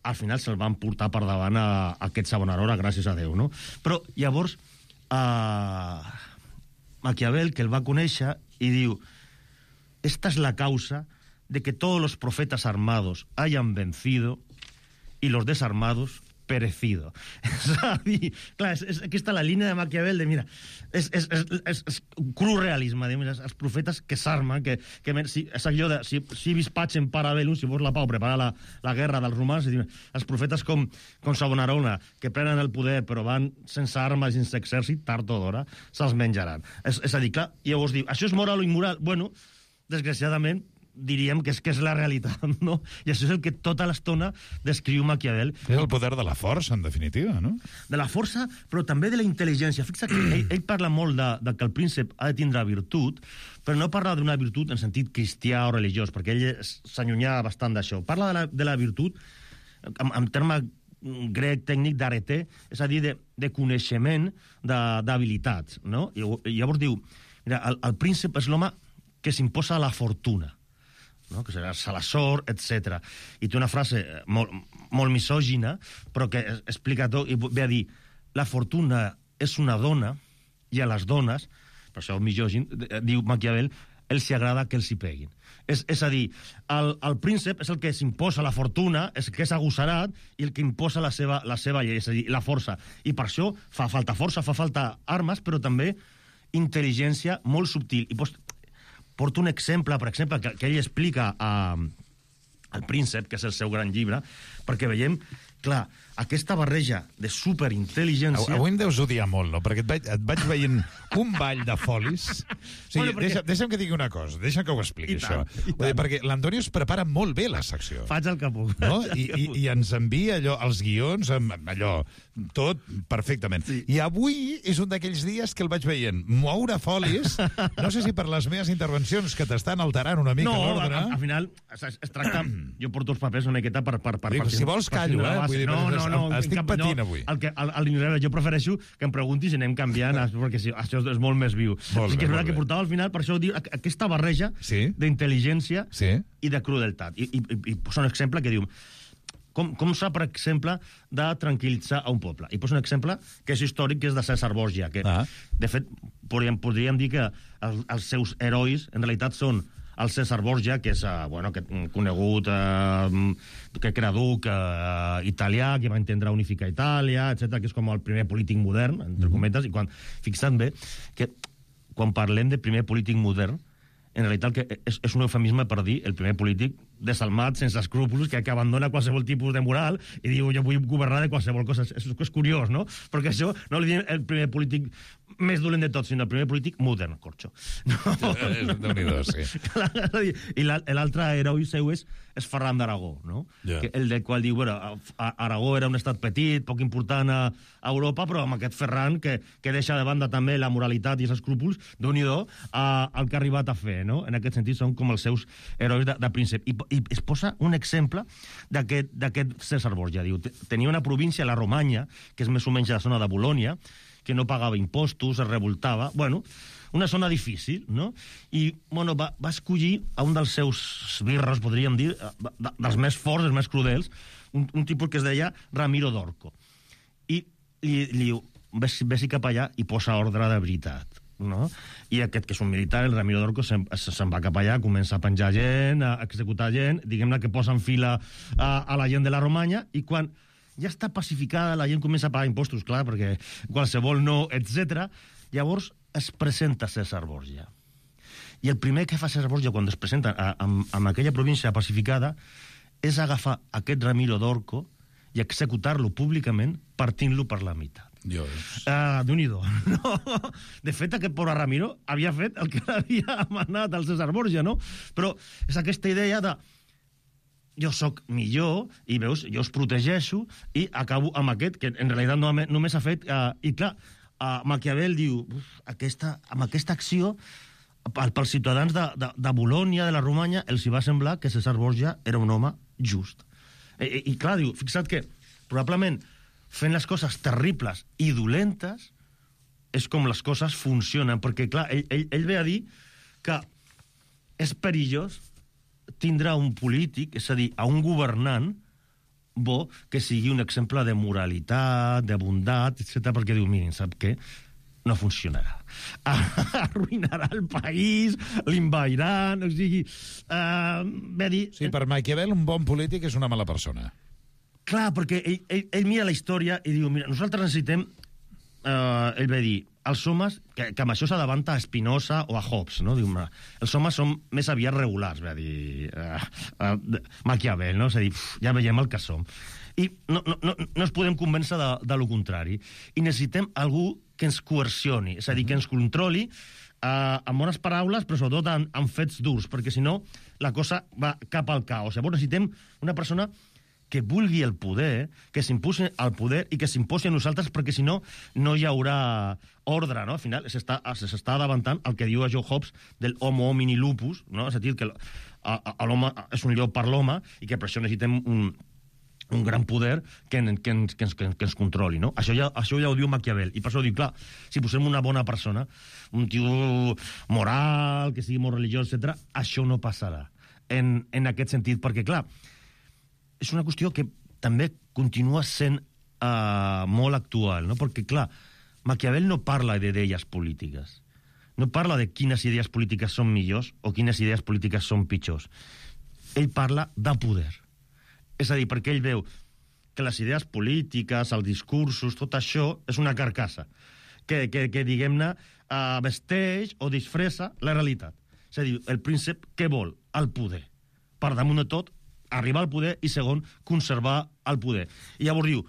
al final se'l van portar per davant a aquest Savonarola, gràcies a Déu, no? Però, llavors, Maquiavel, que el va conèixer, i diu, esta es la causa de que todos los profetas armados hayan vencido y los desarmados perecido. És a dir, clar, és aquesta la línia de Maquiavel de, mira, és cru realisme, de, mira, els profetes que s'armen, és allò de, si vis pacem para bellum, si vols la pau, prepara la guerra dels romans, els profetes com Savonarola, que prenen el poder però van sense armes, sense exèrcit, tard o d'hora, se'ls menjaran. És a dir, clar, llavors diu, això és moral o immoral? Bueno, desgraciadament, diríem que és la realitat, no? I això és el que tota l'estona descriu Maquiavel. És el poder de la força, en definitiva, no? De la força, però també de la intel·ligència. Fixa't que ell parla molt de que el príncep ha de tindre virtut, però no parla d'una virtut en sentit cristià o religiós, perquè ell s'allunya bastant d'això. Parla de la virtut en terme grec tècnic d'arete, és a dir, de coneixement, d'habilitats, no? I llavors diu, mira, el príncep és l'home que s'imposa a la fortuna, no? Que serà la sort, etc. I té una frase molt misògina, però que explica tot, i ve a dir, la fortuna és una dona, i a les dones, per això misògin, diu Maquiavel, els hi agrada que els hi peguin. És a dir, el príncep és el que s'imposa la fortuna, és el que és agossarat i el que imposa la seva llei, és a dir, la força. I per això fa falta força, fa falta armes, però també intel·ligència molt subtil. I porto un exemple, per exemple, que ell explica al príncep, que és el seu gran llibre, perquè veiem, clar, aquesta barreja de superintel·ligència... Avui em deus odiar molt, no? Perquè et vaig veient un ball de folis. O sigui, deixa'm que digui una cosa, deixa'm que ho expliqui, això. Perquè l'Antonio es prepara molt bé la secció. Faig el que puc. No? I ens envia els guions, allò, tot perfectament. Sí. I avui és un d'aquells dies que el vaig veient moure folis, no sé si per les meves intervencions que t'estan alterant una mica l'ordre... No, al final es tracta... Jo porto els papers una miqueta per si vols callo, No, estic patint avui. Jo prefereixo que em preguntis i anem canviant, perquè això és molt més viu. És veritat que portava al final, per això diu, aquesta barreja d'intel·ligència i de crudeltat. I posa un exemple que diu, com s'ha, per exemple, de tranquil·litzar a un poble. I posa un exemple que és històric, que és de César Borgia, que, de fet, podríem dir que els seus herois, en realitat, són el César Borgia, que és conegut, que era duc italià, que va intentar unificar Itàlia, etc., que és com el primer polític modern, entre cometes, i fixa't bé que quan parlem de primer polític modern, en realitat és un eufemisme per dir el primer polític desalmat, sense escrúpols, que abandona qualsevol tipus de moral i diu, jo vull governar de qualsevol cosa. És curiós, no? Perquè això no li diem el primer polític més dolent de tots, sinó el primer polític modern, corxo. Déu-n'hi-do, sí. I l'altre heroi seu és Ferran d'Aragó, no? El del qual diu, Aragó era un estat petit, poc important a Europa, però amb aquest Ferran que deixa de banda també la moralitat i els escrúpols, Déu-n'hi-do, el que ha arribat a fer, no? En aquest sentit són com els seus herois de príncep. I es posa un exemple d'aquest César Borgia. Diu, tenia una província, la Romanya, que és més o menys la zona de Bolònia, que no pagava impostos, es revoltava... una zona difícil, no? I, va escollir a un dels seus birros, podríem dir, dels més forts, dels més crudels, un tipus que es deia Ramiro d'Orco. I li diu, vés-hi cap allà i posa ordre de veritat. No? I aquest, que és un militar, el Ramiro d'Orco, se'n va cap allà, comença a penjar gent, a executar gent, diguem-ne que posa en fila a la gent de la Romanya, i quan ja està pacificada, la gent comença a pagar impostos, clar, perquè qualsevol no, etc. Llavors es presenta César Borgia. I el primer que fa César Borgia quan es presenta en aquella província pacificada és agafar aquest Ramiro d'Orco i executar-lo públicament partint-lo per la meitat. Déu-n'hi-do. De fet, aquest pobre Ramiro havia fet el que havia manat el César Borgia, no? Però és aquesta idea de jo sóc millor, i veus, jo us protegeixo, i acabo amb aquest, que en realitat només ha fet... I clar, Maquiavel diu, amb aquesta acció, pels ciutadans de Bolònia, de la Romanya, els hi va semblar que César Borgia era un home just. I clar, diu, fixa't que probablement fent les coses terribles i dolentes és com les coses funcionen, perquè clar, ell ve a dir que és perillós tindrà un polític, és a dir, a un governant bo que sigui un exemple de moralitat, de bondat, etc. perquè diu, mirin, sap què? No funcionarà. Arruïnarà el país, l'invairan, o sigui... ve a dir... Sí, per Maquiavel un bon polític és una mala persona. Clar, perquè ell mira la història i diu, mira, nosaltres necessitem... ell ve a dir, els homes, que amb això s'adavanta a Spinoza o a Hobbes, no? Diu, els homes són més aviat regulars, ve a dir Maquiavel, no? És a dir, ja veiem el que som. I no ens podem convèncer de lo contrari. I necessitem algú que ens coercioni, és a dir, que ens controli amb bones paraules, però sobretot amb fets durs, perquè si no la cosa va cap al caos. Llavors necessitem una persona que vulgui el poder, que s'imposi al poder i que s'imposi a nosaltres, perquè si no, no hi haurà ordre, no? Al final s'està davantant el que diu a Joe Hobbes del homo homini lupus, no? És a dir, que l'home és un llop per l'home i que per això necessitem un gran poder que ens controli, no? Això ja ho diu Maquiavel, i per això diu, clar, si posem una bona persona, un tio moral, que sigui molt religiós, etc., això no passarà en aquest sentit, perquè, clar, és una qüestió que també continua sent molt actual, no? Perquè, clar, Maquiavel no parla d'idees polítiques, no parla de quines idees polítiques són millors o quines idees polítiques són pitjors. Ell parla de poder. És a dir, perquè ell veu que les idees polítiques, els discursos, tot això és una carcassa que diguem-ne, vesteix o disfressa la realitat. És a dir, el príncep què vol? El poder. Per damunt de tot, arribar al poder i, segon, conservar el poder. I llavors diu,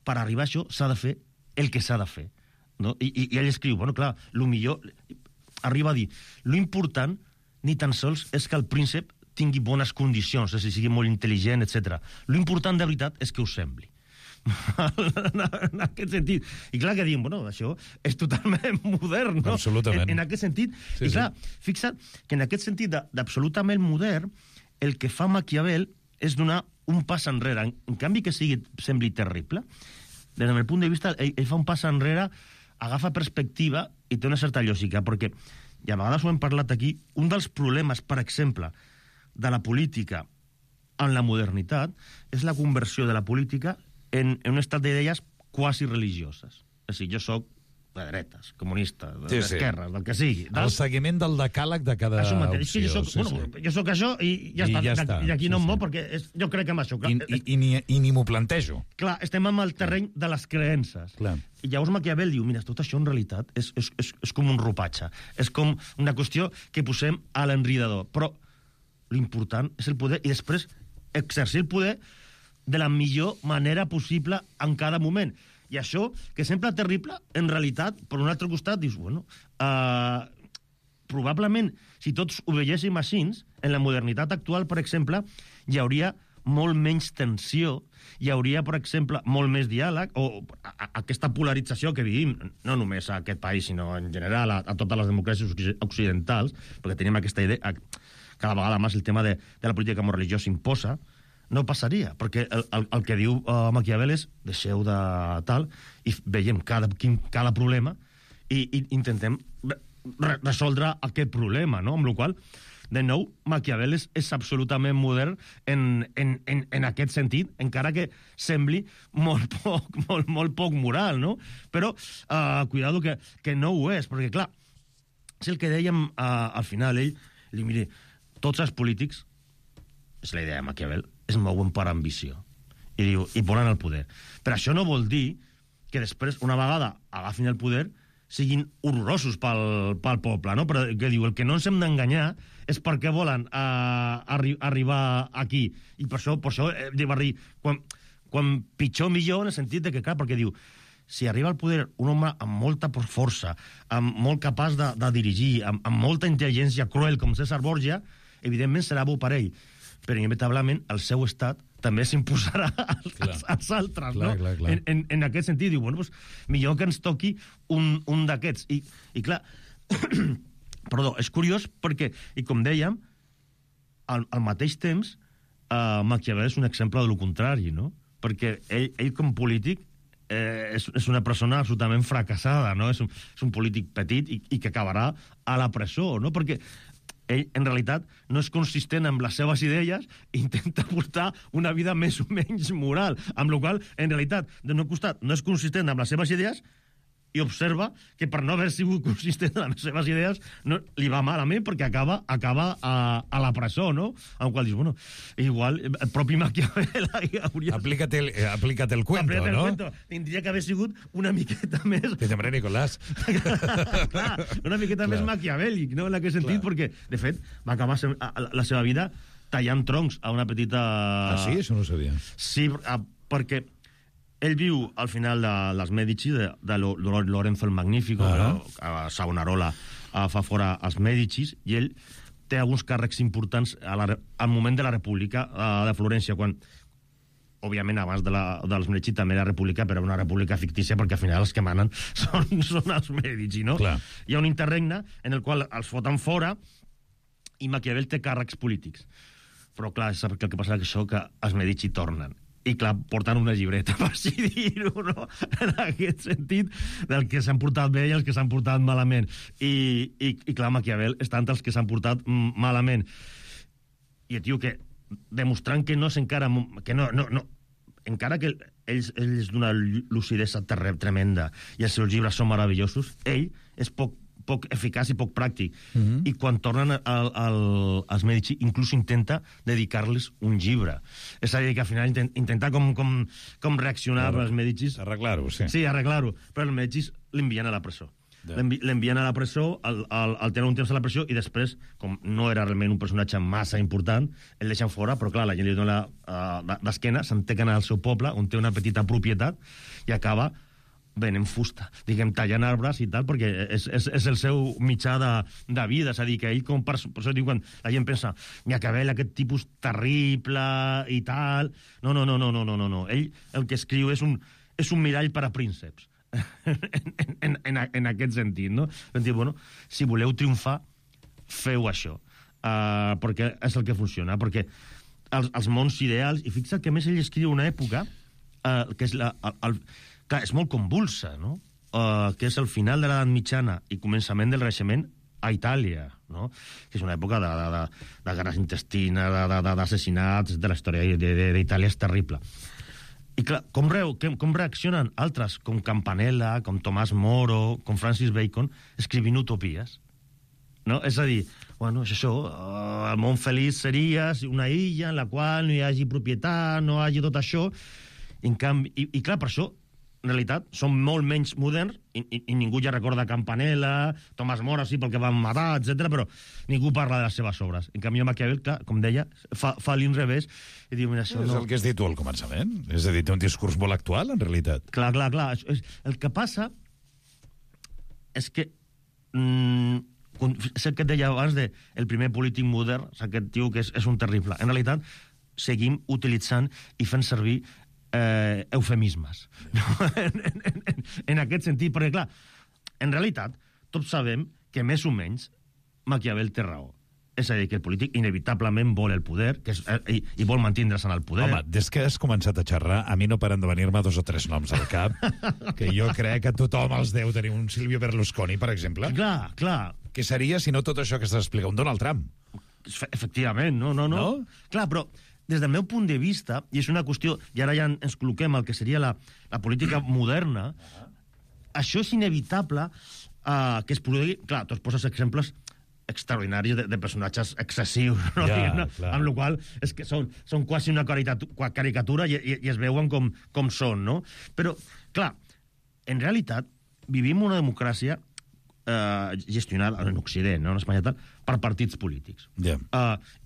per arribar a això s'ha de fer el que s'ha de fer. No? I ell escriu, bueno, clar, el millor... Arriba a dir, l'important ni tan sols és que el príncep tingui bones condicions, és a dir, sigui molt intel·ligent, etc. L'important de veritat és que us sembli. En aquest sentit. I clar que diem, bueno, això és totalment modern, no? Absolutament. En aquest sentit. Sí, i clar, fixa't que en aquest sentit d'absolutament modern, el que fa Maquiavel és donar un pas enrere. En canvi que sembli terrible, des del meu punt de vista, ell fa un pas enrere, agafa perspectiva i té una certa lògica, perquè, i a vegades ho hem parlat aquí, un dels problemes, per exemple, de la política en la modernitat és la conversió de la política en un estat d'idees quasi religioses. És a dir, jo soc de dretes, comunista, d'esquerres, del que sigui. El seguiment del decàleg de cada opció. Jo soc això i ja està. I d'aquí no em mou perquè jo crec en això. I ni m'ho plantejo. Clar, estem en el terreny de les creences. I llavors Maquiavel diu, mira, tot això en realitat és com un ropatge. És com una qüestió que posem a l'enridador. Però l'important és el poder i després exercir el poder de la millor manera possible en cada moment. I això, que sembla terrible, en realitat, per un altre costat, dius, bueno, probablement, si tots ho veiéssim així, en la modernitat actual, per exemple, hi hauria molt menys tensió, hi hauria, per exemple, molt més diàleg, o aquesta polarització que vivim, no només a aquest país, sinó en general a totes les democràcies occidentals, perquè tenim aquesta idea, cada vegada més el tema de la política com a religió s'imposa, no passaria, perquè el que diu Maquiavel és deixeu de tal i veiem cada problema i intentem resoldre aquest problema, no? Amb la qual cosa, de nou, Maquiavel és absolutament modern en aquest sentit, encara que sembli molt poc moral, no? Però, cuidado que no ho és, perquè, clar, és el que dèiem al final, ell, mire, tots els polítics, és la idea de Maquiavel, es mouen per ambició. I diu, i volen el poder. Però això no vol dir que després, una vegada agafin el poder, siguin horrorosos pel poble, no? Però que diu, el que no ens hem d'enganyar és perquè volen arribar aquí. I per això va dir, quan pitjor millor, en el sentit de que, clar, perquè diu, si arriba al poder un home amb molta força, molt capaç de dirigir, amb molta intel·ligència cruel com César Borgia, evidentment serà bo per ell, però inevitablement el seu estat també s'imposarà als altres, no? Clar. En aquest sentit, diu, bueno, doncs, millor que ens toqui un d'aquests. I clar, perdó, és curiós perquè, i com dèiem, al mateix temps, Maquiavel és un exemple de lo contrari, no? Perquè ell com polític és una persona absolutament fracassada, no? És un polític petit i que acabarà a la presó, no? Perquè ell, en realitat, no és consistent amb les seves idees i intenta portar una vida més o menys moral, amb la qual cosa, en realitat, d'un costat, no és consistent amb les seves idees i observa que per no haver sigut consistent amb les seves idees no, li va malament perquè acaba a la presó, no? Amb qual dius, bueno, igual el propi Maquiavel hauria... Aplícate el cuento, ¿no? Cuento. Tindria que haver sigut una miqueta més... Que llamaré Nicolás. Clar, una miqueta més maquiavèlic, no? En aquest sentit, perquè, de fet, va acabar la seva vida tallant troncs a una petita... Ah, sí? Això no ho sabia. Sí, perquè ell viu al final dels Medici, de Lorenzo el Magnífico, a Savonarola fa fora els Medicis, i ell té alguns càrrecs importants al moment de la República de Florència, quan, òbviament, abans dels Medici també la República, però una república fictícia, perquè al final els que manen són els Medici, no? Clar. Hi ha un interregne en el qual els foten fora i Maquiavel té càrrecs polítics. Però, clar, sap que el que passa és que els Medici tornen. I, clar, porten una llibreta, per així dir-ho, no? En aquest sentit, del que s'han portat bé i els que s'han portat malament. I clar, Maquiavel està entre els que s'han portat malament. I el tio que, demostrant que no és encara... Que no, encara que ell és d'una lucidesa tremenda i els seus llibres són meravellosos, ell és poc poc eficaç i poc pràctic. I quan tornen als Medici, inclús intenta dedicar-los un llibre. És a dir, que al final intenta com reaccionar als Medici. Arreglar-ho, sí. Sí, arreglar-ho. Però els Medici l'envien a la presó. L'envien a la presó, el tenen un temps a la presó, i després, com no era realment un personatge massa important, el deixen fora, però clar, la gent li dona d'esquena, s'entequen al seu poble, on té una petita propietat, i acaba venent fusta, diguem, tallant arbres i tal, perquè és el seu mitjà de vida. És a dir, que ell, per això diu, quan la gent pensa, Maquiavel, aquest tipus terrible i tal... No. Ell el que escriu és un mirall per a prínceps. en aquest sentit, no? Bueno, si voleu triomfar, feu això, perquè és el que funciona, perquè els mons ideals, i fixa't que més ell escriu una època que és clar, és molt convulsa, no? Que és el final de l'edat mitjana i començament del Renaixement a Itàlia, no? Que és una època de guerres intestines, d'assassinats, de la història d'Itàlia és terrible. I clar, com reaccionen altres, com Campanella, com Tomàs Moro, com Francis Bacon, escrivint utopies, no? És a dir, bueno, és això, el món feliç seria una illa en la qual no hi hagi propietat, no hi hagi tot això, i clar, per això, en realitat, són molt menys moderns, i ningú ja recorda Campanella, Tomàs Moro, sí, pel que van matar, etc, però ningú parla de les seves obres. En canvi, Maquiavel, clar, com deia, fa l'inrevés, i diu, mira, això no... És el que has dit tu al començament. És a dir, té un discurs molt actual, en realitat. Clar. El que passa és que... és el que et deia abans del primer polític modern, aquest tio que és un terrible. En realitat, seguim utilitzant i fent servir eufemismes, no? en aquest sentit, perquè clar, en realitat tots sabem que més o menys Maquiavel té raó. És a dir, que el polític inevitablement vol el poder, i vol mantindre's en el poder. Home, des que has començat a xerrar, a mi no paren de venir-me 2 o 3 noms al cap, que jo crec que tothom els deu tenir. Un Silvio Berlusconi, per exemple. Clar. Què seria, si no tot això que s'explica? Un Donald Trump. Efectivament, no? Clar, però des del meu punt de vista, i és una qüestió, i ara ja ens col·loquem al que seria la política moderna, això és inevitable que es produï... Clar, tu poses exemples extraordinaris de personatges excessius, no? Amb la qual és que són quasi una caricatura i es veuen com són, no? Però, clar, en realitat, vivim una democràcia gestionada en Occident, no? En Espanya tal, per partits polítics.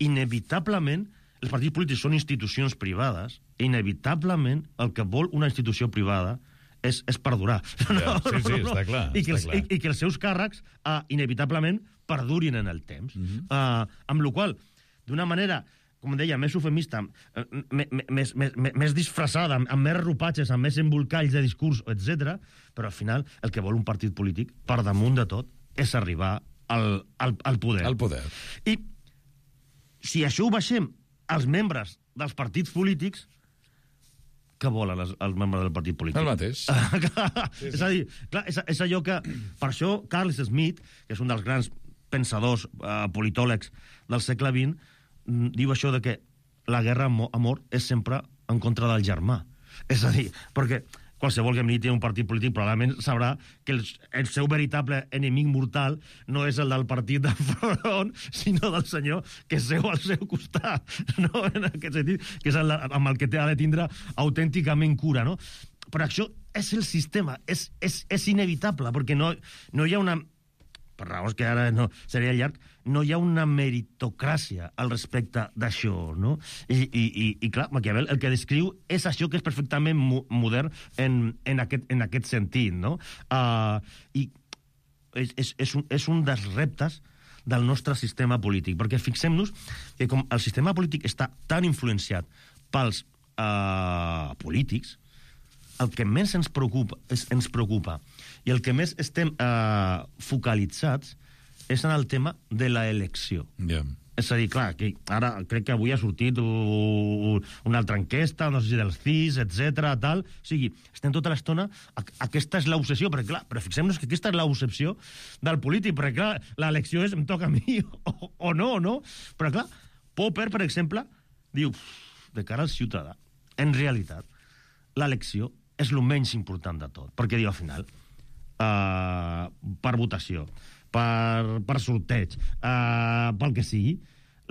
Inevitablement, els partits polítics són institucions privades, i inevitablement el que vol una institució privada és perdurar. Sí, està clar. I que els seus càrrecs inevitablement perdurin en el temps. Amb la qual cosa, d'una manera, com deia, més eufemista, més disfressada, amb més ropatges, amb més embolcalls de discurs, etc. Però al final el que vol un partit polític, per damunt de tot, és arribar al poder. Al poder. I si això ho baixem als membres dels partits polítics, què volen els membres del partit polític? El mateix. És a dir, clar, és allò que... Per això, Carl Smith, que és un dels grans pensadors politòlegs del segle XX, diu això de que la guerra amor és sempre en contra del germà. És a dir, perquè qualsevol que militi en un partit polític probablement sabrà que el seu veritable enemic mortal no és el del partit de front, sinó del senyor que seu al seu costat, no? En aquest sentit, que és amb el que ha de tindre autènticament cura, no? Però això és el sistema, és inevitable, perquè no hi ha una... Per raons que ara no seria llarg, no hi ha una meritocràcia al respecte d'això, no? I clar, Maquiavel el que descriu és això que és perfectament modern en aquest sentit, no? I és un dels reptes del nostre sistema polític, perquè fixem-nos que com el sistema polític està tan influenciat pels polítics, el que més ens preocupa i el que més estem focalitzats és en el tema de l'elecció. És a dir, clar, que ara crec que avui ha sortit una altra enquesta, no sé si del CIS, etc. tal. O sigui, estem tota l'estona... Aquesta és l'obsessió, perquè clar, però fixem-nos que aquesta és l'obsessió del polític, perquè clar, l'elecció és em toca a mi o no, no? Però clar, Popper, per exemple, diu, de cara al ciutadà, en realitat, l'elecció és el menys important de tot, perquè diu, al final, per votació, per sorteig, pel que sigui,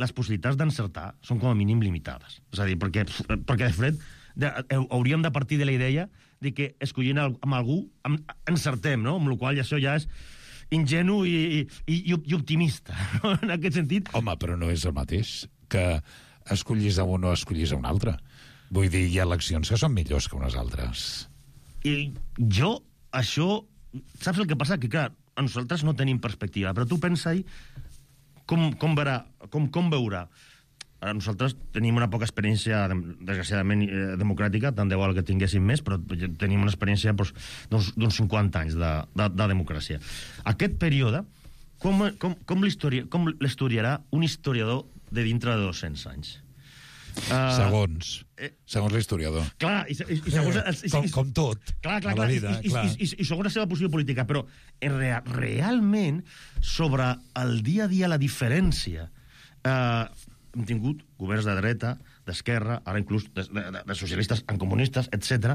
les possibilitats d'encertar són com a mínim limitades. És a dir, perquè de fred hauríem de partir de la idea de que escollint amb algú encertem, no? Amb la qual això ja és ingenu i optimista, no? En aquest sentit. Home, però no és el mateix que escollis a un o escollis a un altre. Vull dir, hi ha eleccions que són millors que unes altres. I jo, això... Saps el que passa? Que, clar, a nosaltres no tenim perspectiva, però tu pensa-hi com veurà. Nosaltres tenim una poca experiència, desgraciadament, democràtica, tant de bo que tinguéssim més, però tenim una experiència d'uns 50 anys de democràcia. Aquest període, com l'estudiarà un historiador de dintre de 200 anys? Segons l'historiador. Clar, i segons... Com tot, a la vida. I segons la seva posició política, però realment, sobre el dia a dia, la diferència... Hem tingut governs de dreta, d'esquerra, ara inclús de socialistes en comunistes, etc.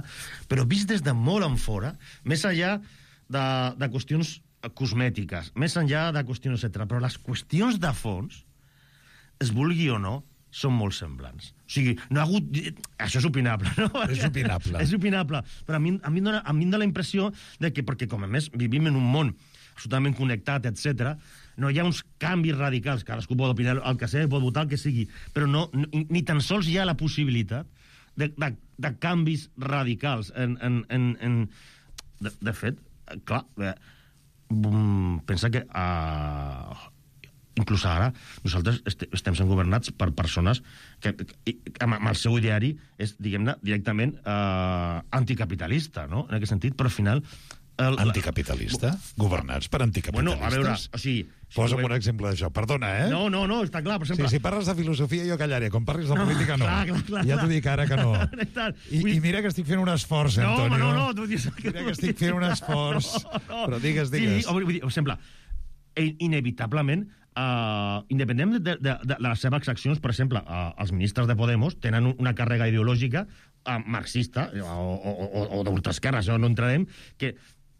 Però vist des de molt en fora, més enllà de qüestions cosmètiques, més enllà de qüestions, etc. Però les qüestions de fons, es vulgui o no, són molt semblants. O sigui, no ha hagut... Això és opinable, no? És opinable. És opinable. Però a mi em dóna la impressió de que, perquè com a més vivim en un món absolutament connectat, etc., no hi ha uns canvis radicals, cadascú pot opinar el que sigui, pot votar el que sigui, però ni tan sols hi ha la possibilitat de canvis radicals. De fet, clar, pensa que inclús ara nosaltres estem sent governats per persones que amb el seu ideari és, diguem-ne, directament anticapitalista, no? En aquest sentit, però al final... Anticapitalista? Governats per anticapitalistes? Bueno, a veure, o sigui... Posa'm un exemple d'això. Perdona, eh? No, està clar, per exemple... Si parles de filosofia jo callaré, com parlis de política no. Clar. Ja t'ho dic ara que no. I mira que estic fent un esforç, Antonio. No, tu dius... Mira que estic fent un esforç. Però digues. Sí, vull dir, per exemple, inevitablement, independent de les seves accions, per exemple, els ministres de Podemos tenen una càrrega ideològica marxista o d'ultraesquerra, això no entrarem, que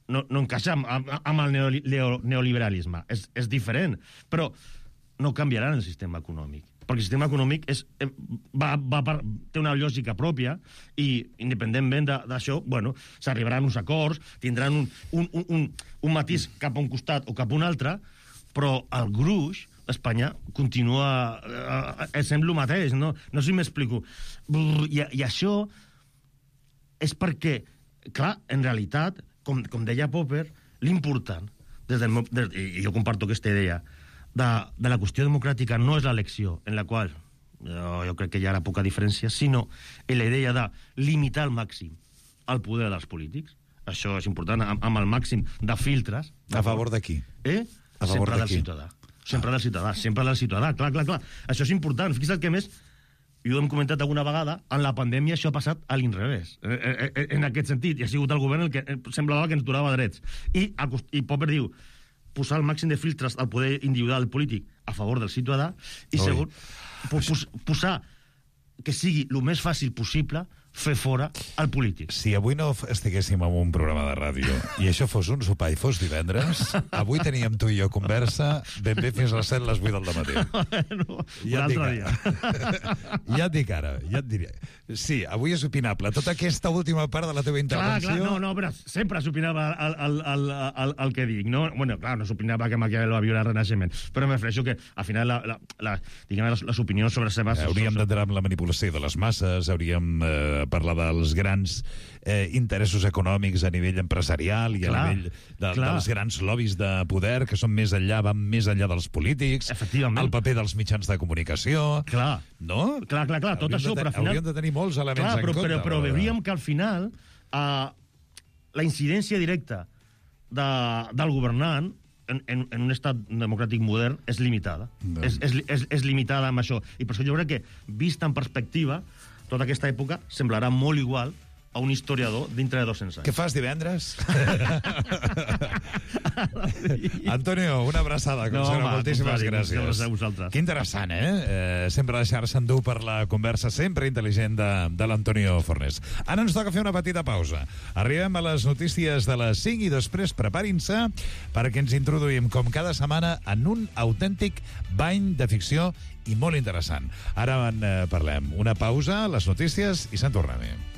no encaixa amb el neoliberalisme. És diferent, però no canviaran el sistema econòmic. Perquè el sistema econòmic té una lògica pròpia i, independentment d'això, bueno, s'arribaran uns acords, tindran un matís cap a un costat o cap a un altre, però el gruix d'Espanya continua sent el mateix, no sé si m'explico. I això és perquè, clar, en realitat, com deia Popper, l'important, i jo comparto aquesta idea, de la qüestió democràtica no és l'elecció, en la qual jo crec que hi ha poca diferència, sinó la idea de limitar al màxim el poder dels polítics. Això és important, amb el màxim de filtres. A favor de qui? A favor de qui? Sempre del ciutadà, clar. Això és important. Fixa't el que més, i ho hem comentat alguna vegada, en la pandèmia això ha passat a l'inrevés. En aquest sentit, i ha sigut el govern el que semblava que ens donava drets. I Popper diu, posar el màxim de filtres al poder individual polític a favor del ciutadà, i segon, posar que sigui el més fàcil possible fer fora el polític. Si avui no estiguéssim en un programa de ràdio i això fos un sopar i fos divendres, avui teníem tu i jo conversa ben bé fins a les 7, les 8 del dematí. Ja et dic ara, ja et diré. Sí, avui és opinable. Tota aquesta última part de la teva intervenció... Clar, però sempre s'opinava el que dic, no? Bueno, clar, no s'opinava que Maquiavel va viure al Renaixement, però me refereixo que, al final, les opinions sobre seves... Hauríem d'entrar en la manipulació de les masses, hauríem parlar dels grans interessos econòmics a nivell empresarial i a nivell dels grans lobbies de poder que són més enllà, van més enllà dels polítics, el paper dels mitjans de comunicació... Clar, no? Clar, tot això, però al final... Hauríem de tenir molts elements en compte. Però veuríem que al final la incidència directa del governant en un estat democràtic modern és limitada. És limitada amb això. I per això jo crec que, vista en perspectiva, tota aquesta època semblarà molt igual a un historiador dintre de 200 anys. Què fas divendres? Antonio, una abraçada, com sempre, moltíssimes gràcies. A vosaltres. Que interessant, sempre deixar-se endur per la conversa sempre intel·ligent de l'Antonio Fornés. Ara ens toca fer una petita pausa. Arribem a les notícies de les 5 i després preparin-se perquè ens introduïm, com cada setmana, en un autèntic bany de ficció i molt interessant. Ara en parlem. Una pausa, les notícies i se'n tornem.